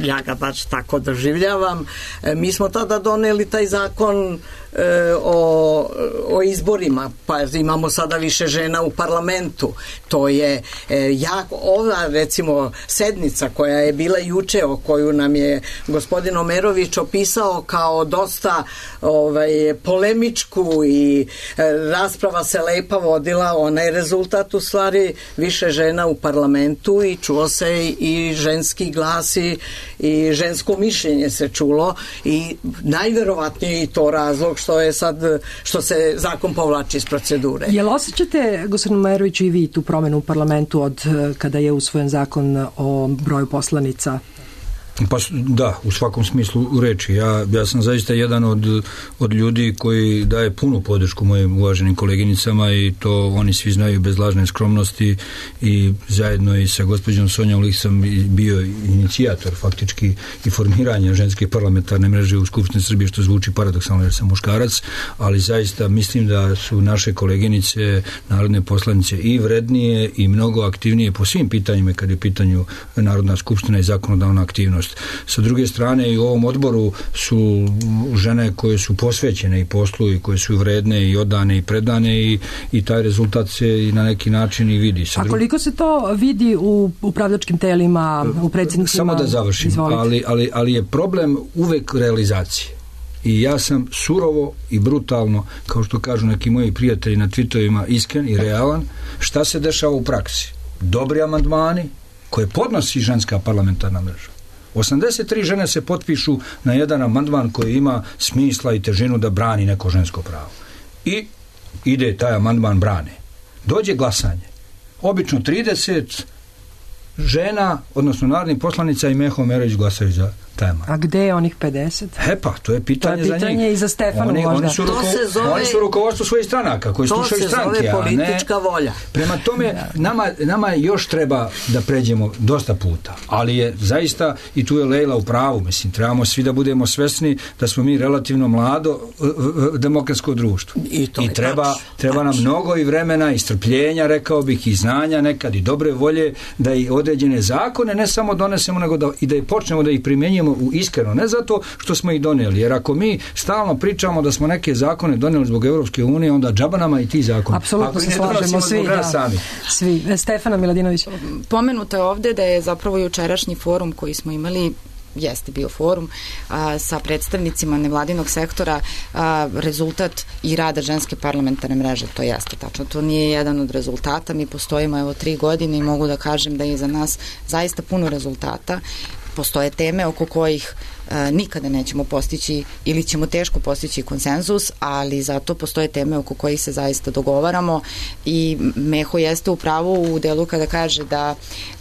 ja ga baš tako doživljavam, e, mi smo tada doneli taj zakon e, o, o izborima, pa imamo sada više žena u parlamentu. To je e, jako, ova recimo sednica koja je bila juče, o koju nam je gospodin Omerović opisao kao dosta ovaj, polemičku i e, rasprava se lepa vodila, ona je rezultat u stvari više žena u parlamentu i čuo se i ženski glas i, i žensko mišljenje se čulo i najverovatnije i to razlog što je sad, što se zakon povlači iz procedure. Jel osjećate, gospodin Omeroviću, i vi tu promenu u parlamentu od kada je usvojen zakon o broju poslanica? Pa da, u svakom smislu reči. Ja, ja sam zaista jedan od, od ljudi koji daje punu podršku mojim uvaženim koleginicama i to oni svi znaju bez lažne skromnosti i zajedno i sa gospođom Sonjom Lik sam bio inicijator faktički i formiranja ženske parlamentarne mreže u Skupštini Srbije, što zvuči paradoksalno jer sam muškarac, ali zaista mislim da su naše koleginice, narodne poslanice i vrednije i mnogo aktivnije po svim pitanjima kad je u pitanju Narodna skupština i zakonodavna aktivnost. Sa druge strane i u ovom odboru su žene koje su posvećene i poslu i koje su vredne i odane i predane i, i taj rezultat se i na neki način i vidi. Sa A koliko se to vidi u upravljačkim telima, u predsjednicima? Samo da završim, ali, ali, ali je problem uvek realizacije. I ja sam surovo i brutalno, kao što kažu neki moji prijatelji na tweetovima, iskren i realan. Šta se dešava u praksi? Dobri amandmani koje podnosi ženska parlamentarna mreža. osamdeset tri žene se potpišu na jedan amandman koji ima smisla i težinu da brani neko žensko pravo. I ide taj amandman brane. Dođe glasanje. Obično trideset žena, odnosno narodnih poslanica i Meho Omerović glasaju za taj amandman. A gde je onih pedeset? E pa, to je pitanje, to je pitanje za njih. I za Stefanu oni, možda. Oni su, ruko, zove, oni su rukovodstvo svojih stranaka koji slušaju stranke. To se zove politička ne, volja. Prema tome, nama, nama još treba da pređemo dosta puta, ali je zaista, i tu je Lejla u pravu, mislim, trebamo svi da budemo svesni da smo mi relativno mlado demokratsko društvo. I, to I treba, tač, treba tač. nam mnogo i vremena i strpljenja, rekao bih, i znanja nekad i dobre volje da i određene zakone ne samo donesemo, nego da, i da i počnemo da ih primjenjujemo u iskreno. Ne zato što smo ih donijeli, jer ako mi stalno pričamo da smo neke zakone donijeli zbog Evropske unije, onda džaba nama i ti zakoni. Apsolutno se slažemo svi. Da. Sami. Svi. Stefana Miladinović. Pomenuto je ovde da je zapravo jučerašnji forum koji smo imali jeste bio forum a, sa predstavnicima nevladinog sektora a, rezultat i rada ženske parlamentarne mreže, to jeste tačno, to nije jedan od rezultata, mi postojimo evo tri godine i mogu da kažem da je za nas zaista puno rezultata. Postoje teme oko kojih e, nikada nećemo postići ili ćemo teško postići konsenzus, ali zato postoje teme oko kojih se zaista dogovaramo i Meho jeste u pravu u delu kada kaže da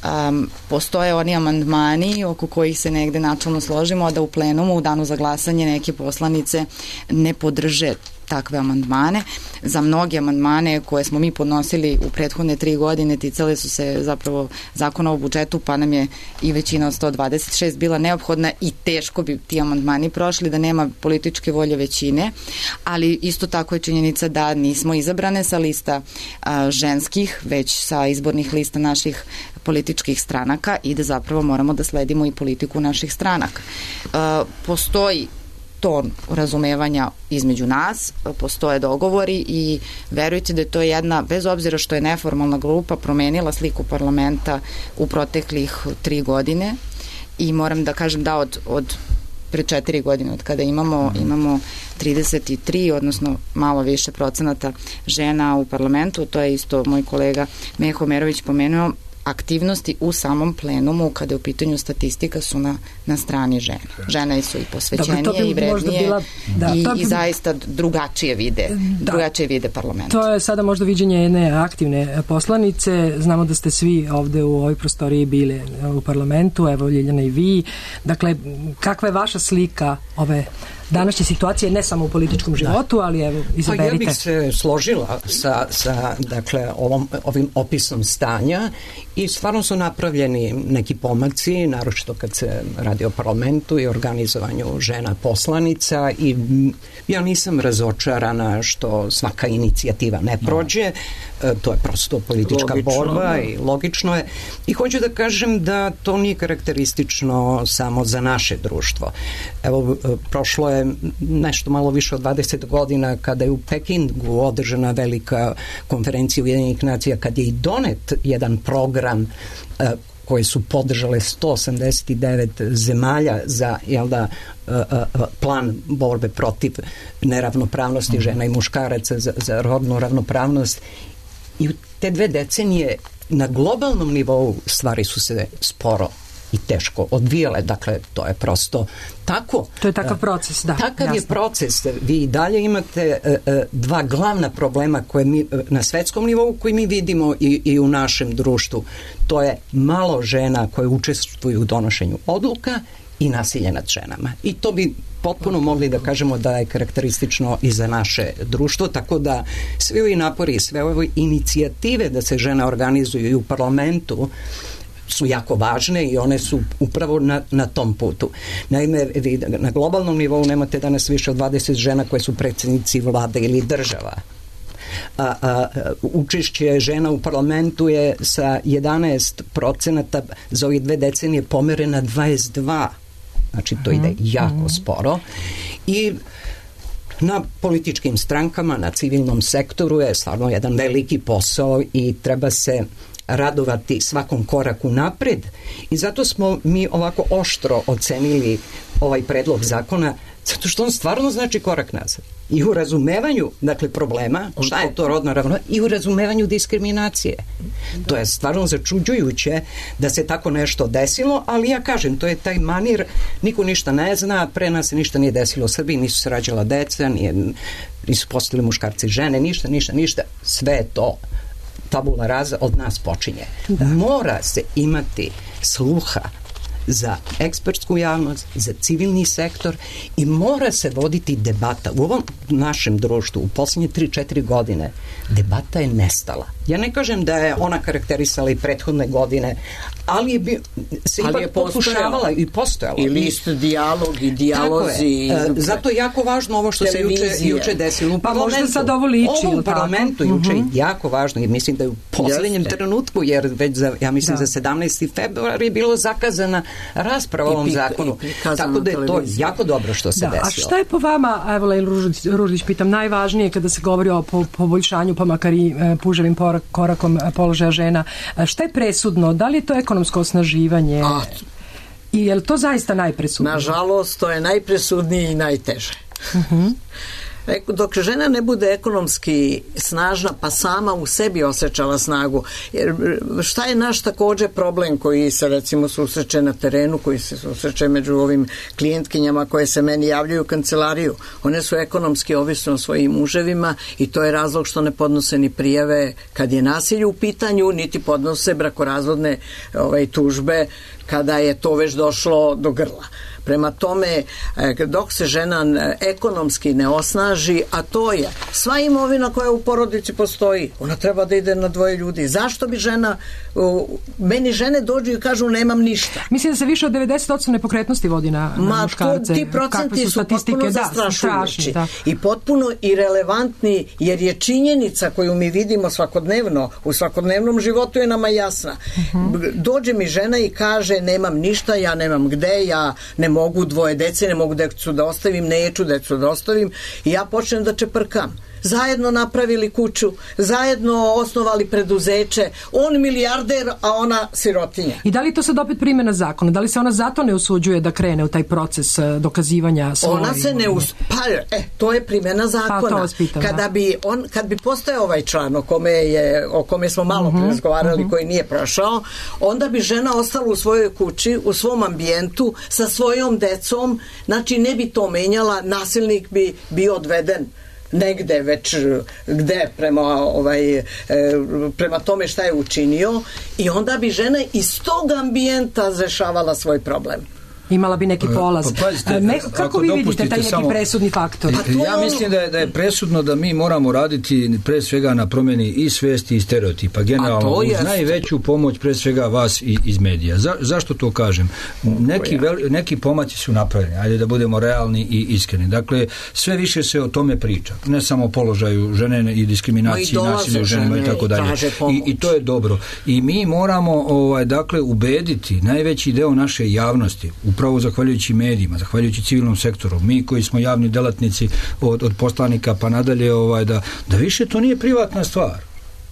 um, postoje oni amandmani oko kojih se negde načelno složimo, a da u plenumu u danu za glasanje neke poslanice ne podrže takve amandmane. Za mnoge amandmane koje smo mi podnosili u prethodne tri godine ticale su se zapravo zakona o budžetu, pa nam je i većina od sto dvadeset šest bila neophodna i teško bi ti amandmani prošli da nema političke volje većine, ali isto tako je činjenica da nismo izabrane sa lista a, ženskih, već sa izbornih lista naših političkih stranaka i da zapravo moramo da sledimo i politiku naših stranaka. A, postoji ton razumevanja između nas, postoje dogovori i verujte da je to jedna, bez obzira što je neformalna grupa, promenila sliku parlamenta u proteklih tri godine i moram da kažem da od, od pre četiri godine, od kada imamo, imamo trideset tri, odnosno malo više procenata žena u parlamentu, to je isto moj kolega Meho Omerović pomenuo, aktivnosti u samom plenumu kada je u pitanju statistika su na, na strani žena. Žene su i posvećenije Dobre, i vrednije bila, da, i, bi... i zaista drugačije vide, da. drugačije vide parlament. To je sada možda viđenje jedne aktivne poslanice. Znamo da ste svi ovde u ovoj prostoriji bili u parlamentu, evo Ljiljana i vi. Dakle, kakva je vaša slika ove današnje situacije, ne samo u političkom životu, ali evo, izaberite. Pa ja bih se složila sa, sa dakle, ovom, ovim opisom stanja i stvarno su napravljeni neki pomaci, naročito kad se radi o parlamentu i organizovanju žena poslanica i ja nisam razočarana što svaka inicijativa ne prođe, no. To je prosto politička logično, borba no. i logično je. I hoću da kažem da to nije karakteristično samo za naše društvo. Evo, prošlo je nešto malo više od dvadeset godina kada je u Pekingu održana velika konferencija Ujedinjenih nacija, kad je i donet jedan program uh, koje su podržale sto osamdeset devet zemalja za jel da, uh, uh, plan borbe protiv neravnopravnosti mm-hmm. žena i muškaraca za, za rodnu ravnopravnost. I u te dve decenije na globalnom nivou stvari su se sporo i teško odvijale, dakle to je prosto tako. To je takav proces, da. Takav jasno. je proces. Vi i dalje imate uh, uh, dva glavna problema koje mi, uh, na svetskom nivou koji mi vidimo i, i u našem društvu. To je malo žena koje učestvuju u donošenju odluka i nasilje nad ženama. I to bi potpuno mogli da kažemo da je karakteristično i za naše društvo, tako da svi ovi napori, sve ove inicijative da se žene organizuju i u parlamentu su jako važne i one su upravo na, na tom putu. Naime, vi na globalnom nivou nemate danas više od dvadeset žena koje su predsjednici vlade ili država. A, a, učešće žena u parlamentu je sa jedanaest procenata za ovih dve decenije pomere na dvadeset dva. Znači to ide jako sporo i na političkim strankama, na civilnom sektoru je stvarno jedan veliki posao i treba se radovati svakom koraku napred i zato smo mi ovako oštro ocenili ovaj predlog zakona, zato što on stvarno znači korak nazad. I u razumevanju, dakle, problema, šta je to rodna ravnopravnost, i u razumevanju diskriminacije. To je stvarno začuđujuće da se tako nešto desilo, ali ja kažem, to je taj manir, niko ništa ne zna, pre nas se ništa nije desilo u Srbiji, nisu se rađala deca, nije, nisu postali muškarci i žene, ništa, ništa, ništa, sve je to tabula rasa od nas počinje. Da. Mora se imati sluha za ekspertsku javnost, za civilni sektor i mora se voditi debata. U ovom našem društvu u posljednje tri četiri godine debata je nestala. Ja ne kažem da je ona karakterisala i prethodne godine, ali je bi, se ali ipak je pokušavala i postojala. I list, dijalog i dijalozi. Je. E, zato je jako važno ovo što televizije. se juče, juče desilo. U pa možda sad ovo liči. Ovo u parlamentu juče uh-huh. je jako važno i mislim da je u posljednjem Jeste. trenutku, jer već za, ja mislim da. za sedamnaesti februar je bilo zakazana rasprava o ovom zakonu. Tako da je to jako dobro što se da, desilo. A šta je po vama, evo Lejla Ružić, Ružić pitam, najvažnije kada se govori o po, poboljšanju, pa makar i e, puževim porak, korakom položaja žena, šta je presudno? Da li je to ekonomsko osnaživanje? A, I je li to zaista najpresudnije? Nažalost, to je najpresudnije i najteže. Uh-huh. Dok žena ne bude ekonomski snažna, pa sama u sebi osjećala snagu. Jer šta je naš također problem koji se recimo susreće na terenu, koji se susreće među ovim klijentkinjama koje se meni javljaju u kancelariju? One su ekonomski ovisne o svojim muževima i to je razlog što ne podnose ni prijave kad je nasilje u pitanju, niti podnose brakorazvodne ovaj, tužbe kada je to već došlo do grla. Prema tome, dok se žena ekonomski ne osnaži, a to je sva imovina koja u porodici postoji, ona treba da ide na dvoje ljudi. Zašto bi žena, meni žene dođu i kažu nemam ništa. Mislim da se više od devedeset posto nepokretnosti vodi na, na Ma, muškarce. To, ti procenti su, su potpuno zastrašujući da, i potpuno irelevantni, jer je činjenica koju mi vidimo svakodnevno, u svakodnevnom životu je nama jasna. Uh-huh. Dođe mi žena i kaže nemam ništa, ja nemam gde, ja ne mogu dvoje dece, ne mogu decu da ostavim, neću decu da ostavim i ja počnem da čeprkam. Zajedno napravili kuću, zajedno osnovali preduzeće, on milijarder, a ona sirotinja. I da li to sad opet primjena zakona? Da li se ona zato ne usuđuje da krene u taj proces dokazivanja svoje? Ona se ne us... Pa, e, to je primjena zakona. Pa, pitam, Kada bi on, kad bi postojao ovaj član o kome, je, o kome smo malo uh-huh, razgovarali, uh-huh. koji nije prošao, onda bi žena ostala u svojoj kući, u svom ambijentu, sa svojom decom, znači ne bi to menjala, nasilnik bi bio odveden negde već gde prema, ovaj, e, prema tome šta je učinio i onda bi žena iz tog ambijenta rešavala svoj problem. imala bi neki polaz. Pa, pazite, Meho, kako vi vidite taj neki samo, presudni faktor? Ja mislim da je, da je presudno da mi moramo raditi pre svega na promjeni i svijesti i stereotipa, generalno uz najveću pomoć pre svega vas i, iz medija. Za, zašto to kažem? Neki, veli, neki pomaci su napravljeni, ajde da budemo realni i iskreni. Dakle, sve više se o tome priča. Ne samo o položaju žene i diskriminaciji, nasilju ženama i tako dalje. I, I to je dobro. I mi moramo ovaj, dakle, ubediti najveći deo naše javnosti, upravo zahvaljujući medijima, zahvaljujući civilnom sektoru, mi koji smo javni delatnici od, od poslanika pa nadalje, ovaj, da, da više to nije privatna stvar.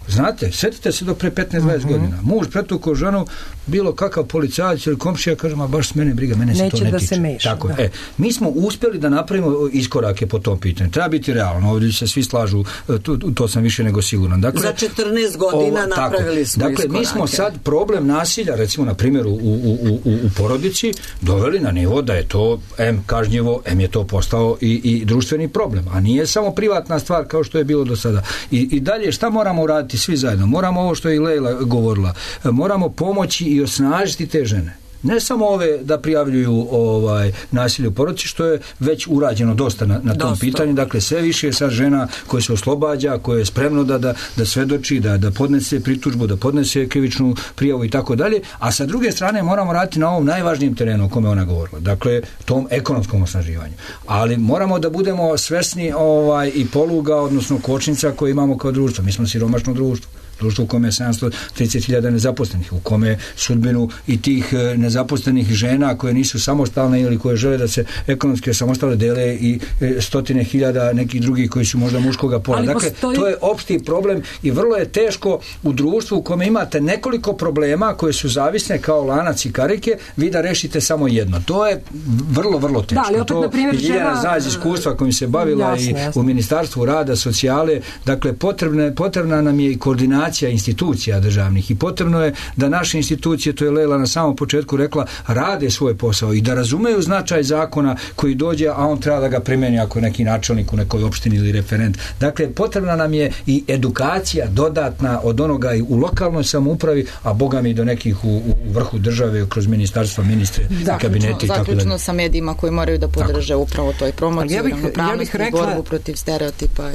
Znate, sjetite se do pre petnaest dvadeset uh-huh. godina. Muž pretukao ženu, bilo kakav policajac ili komšija, kaže, ma baš s mene briga, mene se Neće to ne da tiče. Se meša, Tako, da. E, mi smo uspjeli da napravimo iskorake po tom pitanju. Treba biti realno, ovdje se svi slažu, to, to sam više nego siguran. Dakle, za četrnaest godina ovo, napravili smo dakle, iskorake. Mi smo sad problem nasilja, recimo na primjer u, u, u, u, u porodici, doveli na nivo da je to em kažnjivo, em je to postao i, i društveni problem, a nije samo privatna stvar kao što je bilo do sada. I, i dalje, šta moramo uraditi svi zajedno? Moramo ovo što je i Lejla govorila, moramo pomoći i osnažiti te žene. Ne samo ove da prijavljuju ovaj nasilje u porodici, što je već urađeno dosta na, na tom dosta. pitanju. Dakle, sve više je sad žena koje se oslobađa, koje je spremno da, da, da svedoči, da, da podnese pritužbu, da podnese krivičnu prijavu i tako dalje. A sa druge strane moramo raditi na ovom najvažnijem terenu o kome ona govorila. Dakle, tom ekonomskom osnaživanju. Ali moramo da budemo svesni ovaj, i poluga, odnosno kočnica koje imamo kao društvo. Mi smo siromašno društvo. Društvo u kome je sedamsto trideset hiljada nezaposlenih, u kome sudbinu i tih nezaposlenih žena koje nisu samostalne ili koje žele da se ekonomski samostalne dele i stotine hiljada nekih drugih koji su možda muškoga pola. Ali dakle, postoji... to je opšti problem i vrlo je teško u društvu u kome imate nekoliko problema koje su zavisne kao lanac i karike, vi da rešite samo jedno. To je vrlo, vrlo teško. Da, ali opet, to na primjer, Ljiljana žena... zna iz iskustva kojim se bavila jasne, i jasne. u Ministarstvu rada, socijale. Dakle, potrebna, potrebna nam je i koordinacija institucija državnih i potrebno je da naše institucije, to je Lejla na samom početku rekla, rade svoj posao i da razumeju značaj zakona koji dođe, a on treba da ga primeni ako je neki načelnik u nekoj opštini ili referent. Dakle, potrebna nam je i edukacija dodatna od onoga i u lokalnoj samoupravi, a boga mi do nekih u, u vrhu države kroz ministarstva, ministre, zaključno, kabineti i tako dalje. Zaključno sa medijima koji moraju da podrže tako. upravo toj promociji, ja bih, ravnopravnosti, ja bih rekla, borbu protiv stereotipa.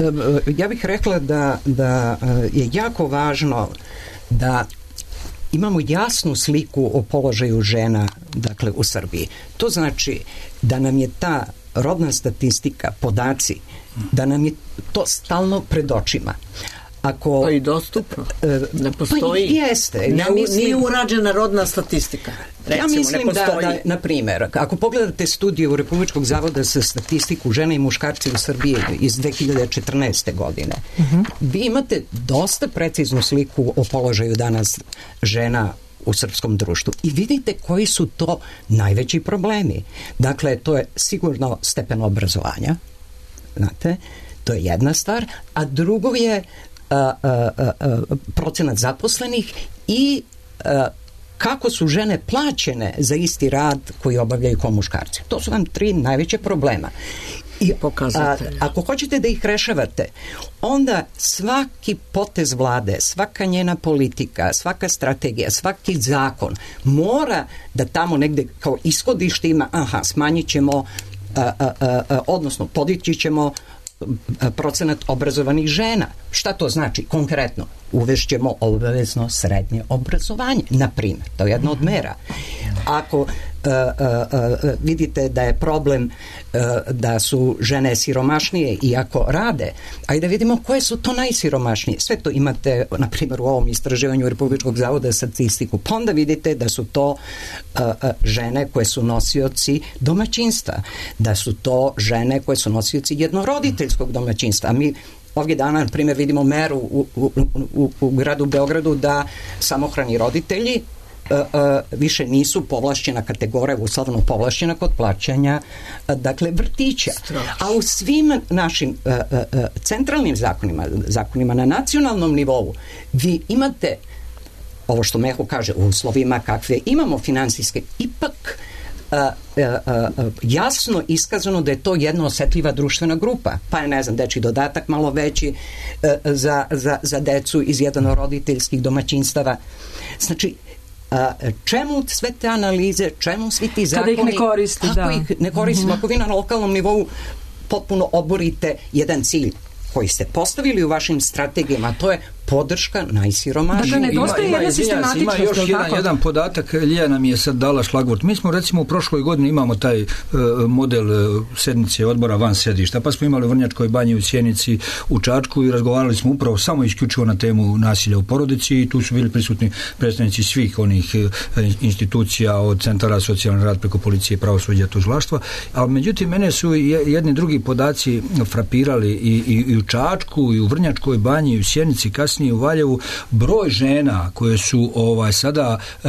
Ja bih rekla da, da je jako važno da imamo jasnu sliku o položaju žena, dakle, u Srbiji. To znači da nam je ta rodna statistika, podaci, da nam je to stalno pred očima. Ako, pa i dostupno. Ne postoji. Pa jeste. Ne, ja mislim, nije urađena rodna statistika. Recimo, ja mislim da, da, na primjer, ako pogledate studiju Republičkog zavoda za statistiku žene i muškarci u Srbiji iz dve hiljade četrnaeste. godine, uh-huh. vi imate dosta preciznu sliku o položaju danas žena u srpskom društvu. I vidite koji su to najveći problemi. Dakle, to je sigurno stepen obrazovanja, znate, to je jedna stvar, a drugo je a, a, a, a, procenat zaposlenih i a, kako su žene plaćene za isti rad koji obavljaju kao muškarci. To su vam tri najveće problema. I a, ako hoćete da ih rešavate, onda svaki potez vlade, svaka njena politika, svaka strategija, svaki zakon mora da tamo negde kao ishodište ima, aha, smanjit ćemo, a, a, a, odnosno podići ćemo procenat obrazovanih žena. Šta to znači konkretno? Uvešćemo obavezno srednje obrazovanje, na primjer. To je jedna od mera. Ako uh, uh, uh, vidite da je problem uh, da su žene siromašnije i ako rade, ajde vidimo koje su to najsiromašnije. Sve to imate, na primjer, u ovom istraživanju Republičkog zavoda za statistiku. Pa onda vidite da su to uh, uh, žene koje su nosioci domaćinstva, da su to žene koje su nosioci jednoroditeljskog domaćinstva. A mi ovdje dana, na primjer, vidimo meru u, u, u, u gradu Beogradu da samohrani roditelji uh, uh, više nisu povlašćena kategorija, uslovno povlašćena kod plaćanja uh, dakle vrtića. Strašno. A u svim našim uh, uh, centralnim zakonima, zakonima na nacionalnom nivou, vi imate ovo što Meho kaže, u uslovima kakve imamo finansijske, ipak Uh, uh, uh, jasno iskazano da je to jedna osetljiva društvena grupa, pa je, ne znam, dečji dodatak malo veći uh, za, za, za decu iz jednoroditeljskih domaćinstava. Znači, A, čemu sve te analize, čemu svi ti zakoni? Kada ih ne koristi, ako da. ih ne koristimo, mm-hmm. ako vi na lokalnom nivou potpuno oborite jedan cilj koji ste postavili u vašim strategijama, to je podrška najsiromašnijim. Dakle, nedostaje jedna sistematičnost. Ima još jedan, jedan podatak, Lija nam je sad dala šlagvort. Mi smo recimo u prošloj godini imamo taj uh, model uh, sednice odbora van sedišta, pa smo imali u Vrnjačkoj banji, u Sjenici, u Čačku i razgovarali smo upravo samo isključivo na temu nasilja u porodici i tu su bili prisutni predstavnici svih onih uh, institucija od centara socijalnog rada preko policije, pravosuđa, tužilaštva. Ali međutim, mene su jedni drugi podaci frapirali i, i, i u Čačku, i u Vrnjačkoj banji, i u Sjenici, kasnije u Valjevu, broj žena koje su ovaj sada e,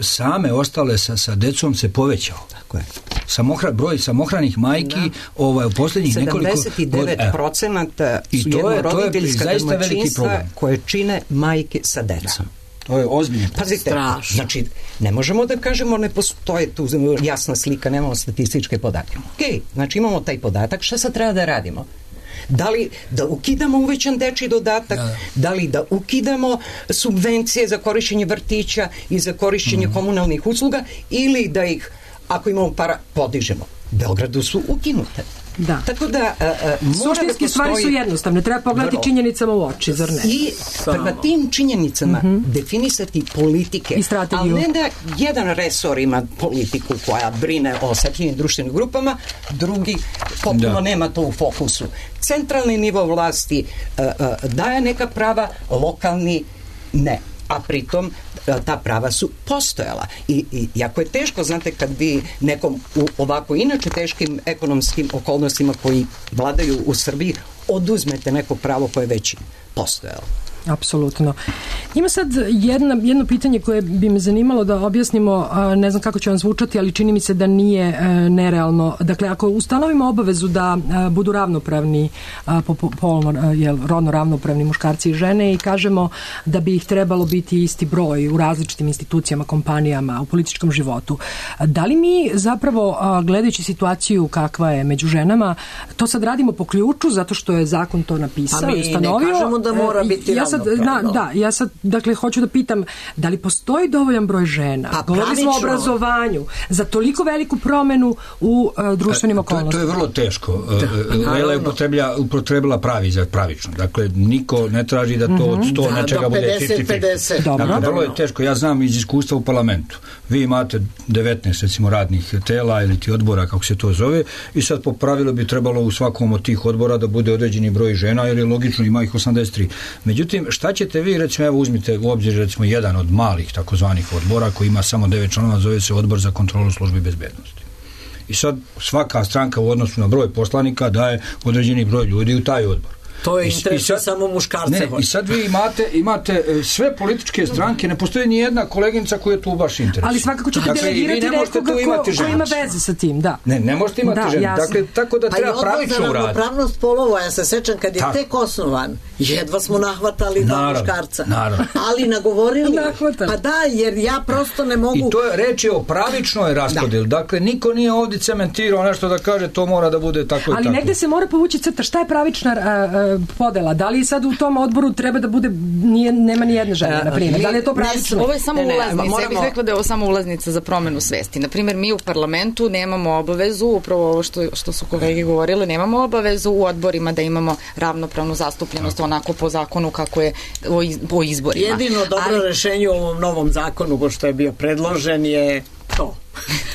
same ostale sa, sa decom se povećao. Tako je. Samohra, broj samohranih majki da. ovaj, u posljednjih nekoliko... sedamdeset devet procenata su jednoroditeljska domaćinstva koje čine majke sa decom. To je ozbiljno. Pazite, strašno. Znači, ne možemo da kažemo ne postoje tu jasna slika, nemamo statističke podatke. Ok, znači imamo taj podatak, šta sad treba da radimo? Da li da ukidamo uvećan dečji dodatak, da, da li da ukidamo subvencije za korišćenje vrtića i za korišćenje mm. komunalnih usluga ili da ih, ako imamo para, podižemo. U Beogradu su ukinute. Da. Tako da uh, suštinske stvari su jednostavne, treba pogledati vrlo. činjenicama u oči, zar ne? I prema tim činjenicama mm-hmm. definisati politike, i strategiju. Ali ne da jedan resor ima politiku koja brine o osjetljivim društvenim grupama, drugi potpuno da. nema to u fokusu. Centralni nivo vlasti uh, uh, daje neka prava, lokalni ne. A pritom ta prava su postojala. I, i jako je teško, znate, kad vi nekom u ovako inače teškim ekonomskim okolnostima koji vladaju u Srbiji oduzmete neko pravo koje je već postojalo. Apsolutno. Ima sad jedna, jedno pitanje koje bi me zanimalo da objasnimo, ne znam kako će vam zvučati, ali čini mi se da nije nerealno. Dakle, ako ustanovimo obavezu da budu ravnopravni, polno, jel, rodno ravnopravni muškarci i žene i kažemo da bi ih trebalo biti isti broj u različitim institucijama, kompanijama, u političkom životu, da li mi zapravo, gledajući situaciju kakva je među ženama, to sad radimo po ključu zato što je zakon to napisao i ustanovio? A mi ne kažemo da mora biti ja sad, na, da, ja sad, dakle, hoću da pitam, da li postoji dovoljan broj žena? Pa, govorili smo o obrazovanju za toliko veliku promenu u uh, društvenim okolnostima. To, to je vrlo teško. Lela je upotrebila pravi za pravično. Dakle, niko ne traži da to od sto mm-hmm. nečega bude pedeset pedeset. Dakle, vrlo je teško. Ja znam iz iskustva u parlamentu. Vi imate devetnaest, recimo, radnih tela ili ti odbora, kako se to zove, i sad po pravilu bi trebalo u svakom od tih odbora da bude određeni broj žena, jer je logično, ima ih osamdeset tri. Međutim, šta ćete vi, recimo, evo uzmite u obzir, recimo, jedan od malih takozvanih odbora koji ima samo devet članova, zove se Odbor za kontrolu službi bezbednosti. I sad svaka stranka u odnosu na broj poslanika daje određeni broj ljudi u taj odbor. To je interes samo muškarce. Ne, i sad vi imate, imate sve političke stranke, ne postoji ni jedna koleginica koja tu baš interesuje. Ali svakako ćete dakle, delegirati nekoga ko, ko ima veze sa tim, da. Ne, ne možete imati da, ženu. Dakle, tako da treba pravično uraditi. Pa i odbor za ravnopravnost polova, ja se sećam kad je tako. tek osnovan, jedva smo nahvatali dva muškarca. Naravno. Ali nagovorili. Pa da, jer ja prosto ne mogu... I to je reč je o pravičnoj raspodjeli. Da. Dakle, niko nije ovdje cementirao nešto da kaže to mora da bude tako i ali tako. Ali negde se mora povući crta. Šta je pravična a, podela? Da li sad u tom odboru treba da bude nije, nema ni jedne žene, na primjer? Da li je to pravično? Ovo je samo ne, ne, ulaznica. Moramo... Ja bih rekla da je ovo samo ulaznica za promenu svesti. Na primjer, mi u parlamentu nemamo obavezu, upravo ovo što, što su kolege govorile, nemamo obavezu u odborima da imamo ravnopravnu zastupljenost onako po zakonu kako je o, iz, o izborima. Jedino dobro ali... rešenje u ovom novom zakonu, ko što je bio predložen, je to.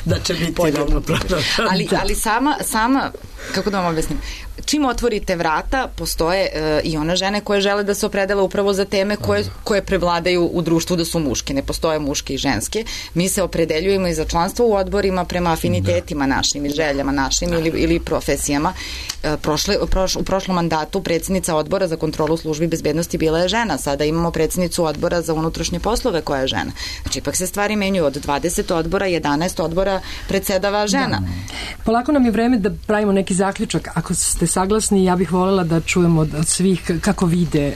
Da će biti ravnopravno. ali, ali sama, sama, kako da vam objasnim, čim otvorite vrata, postoje e, i one žene koje žele da se opredele upravo za teme koje, koje prevladaju u društvu da su muške. Ne postoje muške i ženske. Mi se opredeljujemo i za članstvo u odborima prema afinitetima našim i željama našim ili, ili profesijama. E, prošle, proš, u prošlom mandatu predsjednica odbora za kontrolu službi bezbednosti bila je žena. Sada imamo predsjednicu odbora za unutrašnje poslove koja je žena. Znači, ipak se stvari menjuju. Od dvadeset odbora, jedanaest odbora predsedava žena. Da. Polako nam je vreme da pravimo neki zaključak. Ako ste saglasni, ja bih voljela da čujemo od svih kako vide e,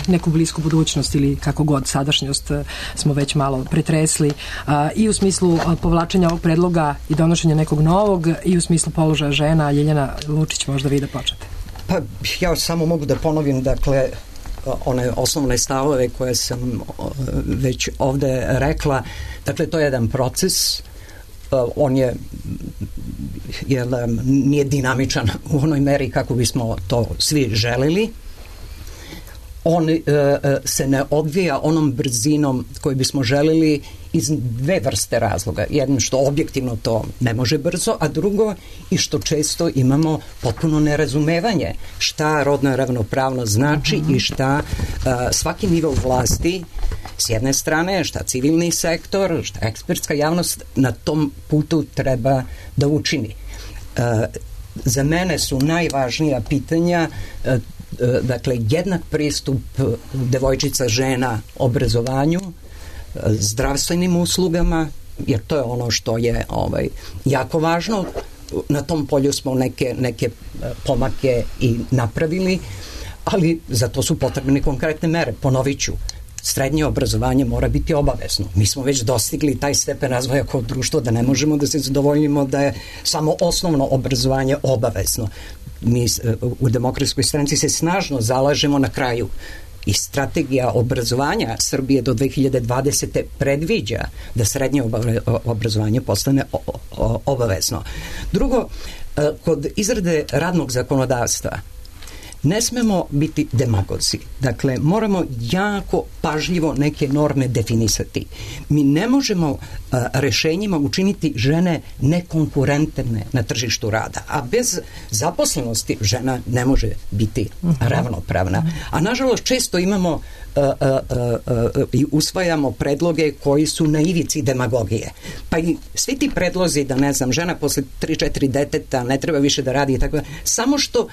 neku blisku budućnost ili kako god sadašnjost e, smo već malo pretresli a, i u smislu a, povlačenja ovog predloga i donošenja nekog novog i u smislu položaja žena. Ljiljana Lučić, možda vi da počnete. Pa ja samo mogu da ponovim, dakle, one osnovne stavove koje sam već ovde rekla. Dakle, to je jedan proces, on je, je nije dinamičan u onoj meri kako bismo to svi želeli. On e, se ne odvija onom brzinom koju bismo želeli iz dve vrste razloga. Jedno što objektivno to ne može brzo, a drugo i što često imamo potpuno nerazumevanje šta rodna ravnopravnost znači i šta a, svaki nivo vlasti s jedne strane, šta civilni sektor, šta ekspertska javnost na tom putu treba da učini. A, za mene su najvažnija pitanja a, dakle jednak pristup devojčica, žena obrazovanju, zdravstvenim uslugama, jer to je ono što je ovaj, jako važno. Na tom polju smo neke, neke pomake i napravili, ali za to su potrebne konkretne mere. Ponovit ću, srednje obrazovanje mora biti obavezno. Mi smo već dostigli taj stepen razvoja kao društvo da ne možemo da se zadovoljimo da je samo osnovno obrazovanje obavezno. Mi u Demokratskoj stranci se snažno zalažemo na kraju i strategija obrazovanja Srbije do dve hiljade dvadesete predviđa da srednje obrazovanje postane obavezno. Drugo, kod izrade radnog zakonodavstva ne smemo biti demagozi. Dakle, moramo jako pažljivo neke norme definisati. Mi ne možemo a, rešenjima učiniti žene nekonkurentne na tržištu rada, a bez zaposlenosti žena ne može biti ravnopravna. A nažalost često imamo a, a, a, a, i usvajamo predloge koji su na ivici demagogije. Pa i svi ti predlozi da, ne znam, žena posle tri četiri deteta ne treba više da radi i tako da, samo što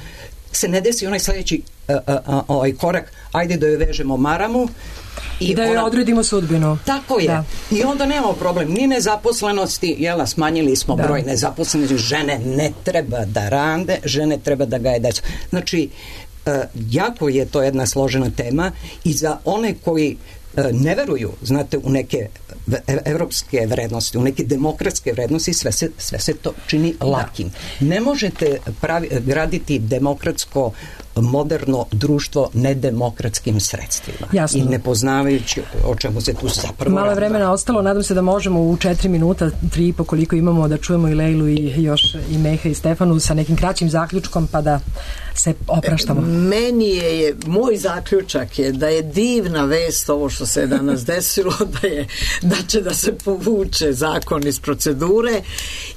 se ne desi onaj sledeći uh, uh, ovaj korak, ajde da joj vežemo maramu i, I da joj ona, odredimo sudbinu. Tako je. Da. I onda nemamo problem ni nezaposlenosti, jela, smanjili smo da. broj nezaposlenosti, žene ne treba da rade, žene treba da gaje decu. Znači, uh, jako je to jedna složena tema i za one koji uh, ne veruju, znate, u neke evropske vrednosti, u neke demokratske vrednosti, sve se, sve se to čini lakim. Ne možete pravi, graditi demokratsko moderno društvo nedemokratskim sredstvima. Jasno. I ne poznavajući o čemu se tu zapravo malo vremena ostalo, nadam se da možemo u četiri minuta, tri i po koliko imamo, da čujemo i Lejlu i još i Meha i Stefanu sa nekim kraćim zaključkom pa da se opraštamo. Meni je, je moj zaključak je da je divna vest ovo što se je danas desilo, da je da će da se povuče zakon iz procedure,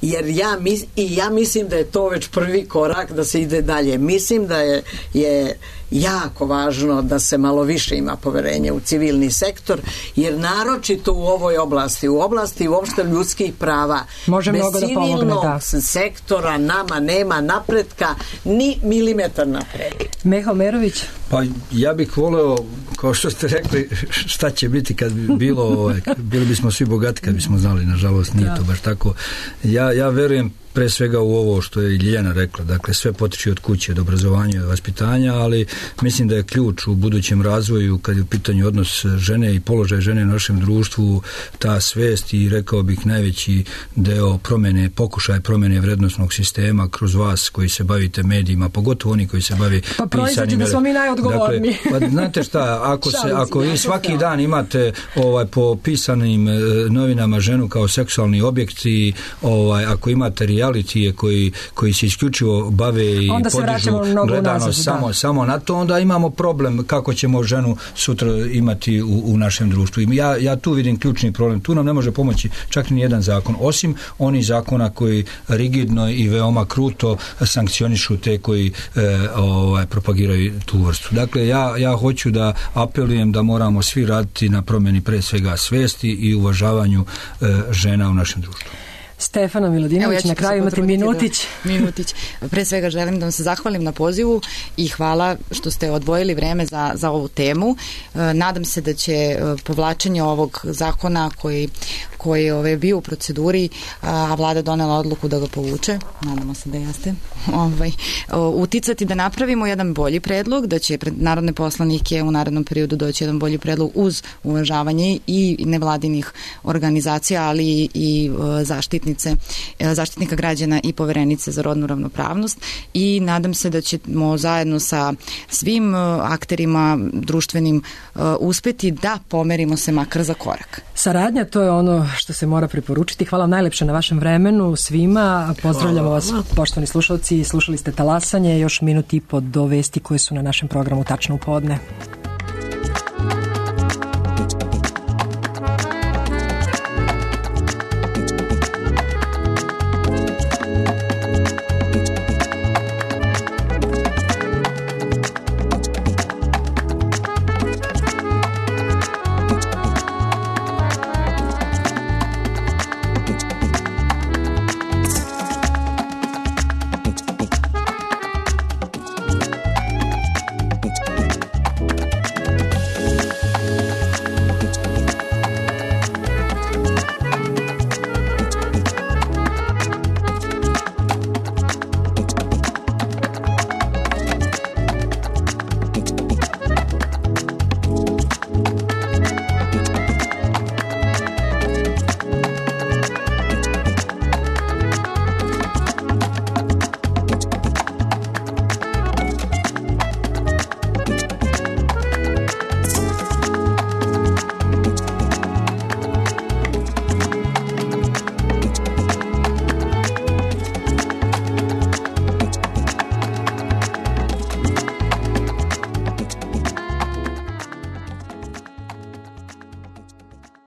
jer ja mis, i ja mislim da je to već prvi korak da se ide dalje. Mislim da je je jako važno da se malo više ima poverenja u civilni sektor, jer naročito u ovoj oblasti, u oblasti uopšte ljudskih prava, može bez mnogo da pomogne, civilnog da. sektora nama nema napretka ni milimetar napred. Meha Omerović? Pa ja bih voleo, kao što ste rekli, šta će biti kad bi bilo, ovaj, bili bismo svi bogati kad bismo znali, nažalost nije to baš tako. Ja, ja verujem pre svega u ovo što je Ljiljana rekla, dakle sve potiče od kuće, od obrazovanja i od vaspitanja, ali mislim da je ključ u budućem razvoju kad je u pitanju odnos žene i položaj žene u našem društvu, ta svest i rekao bih najveći deo promene, pokušaj promene vrednostnog sistema kroz vas koji se bavite medijima, pogotovo oni koji se bavi pa pisanim. Da smo mi najodgovorniji. Dakle, pa znate šta, ako, se, ako vi svaki dan imate ovaj, po pisanim e, novinama ženu kao seksualni objekt i ovaj, ako imate realitije koji, koji se isključivo bave i onda podižu gledano nazad, samo, samo na to, onda imamo problem kako ćemo ženu sutra imati u, u našem društvu. Ja, ja tu vidim ključni problem. Tu nam ne može pomoći čak ni jedan zakon, osim onih zakona koji rigidno i veoma kruto sankcionišu te koji e, ovaj, propagiraju tu vrstu. Dakle, ja, ja hoću da apelujem da moramo svi raditi na promjeni pre svega svesti i uvažavanju e, žena u našem društvu. Stefana Milodinović, ja na kraju imate minutić. Da, minutić. Pre svega želim da vam se zahvalim na pozivu i hvala što ste odvojili vreme za, za ovu temu. E, nadam se da će povlačenje ovog zakona koji, koji je ove, bio u proceduri, a vlada donela odluku da ga povuče, nadamo se da jeste, ovaj, uticati da napravimo jedan bolji predlog, da će pred narodne poslanike u narednom periodu doći jedan bolji predlog uz uvažavanje i nevladinih organizacija, ali i, i zaštitnika zaštitnice, zaštitnika građana i poverenice za rodnu ravnopravnost i nadam se da ćemo zajedno sa svim akterima društvenim uspeti da pomerimo se makar za korak. Saradnja, to je ono što se mora preporučiti. Hvala vam najlepše na vašem vremenu svima. Pozdravljamo vas, poštovani slušalci. Slušali ste Talasanje, još minut i po do vesti koje su na našem programu tačno u podne.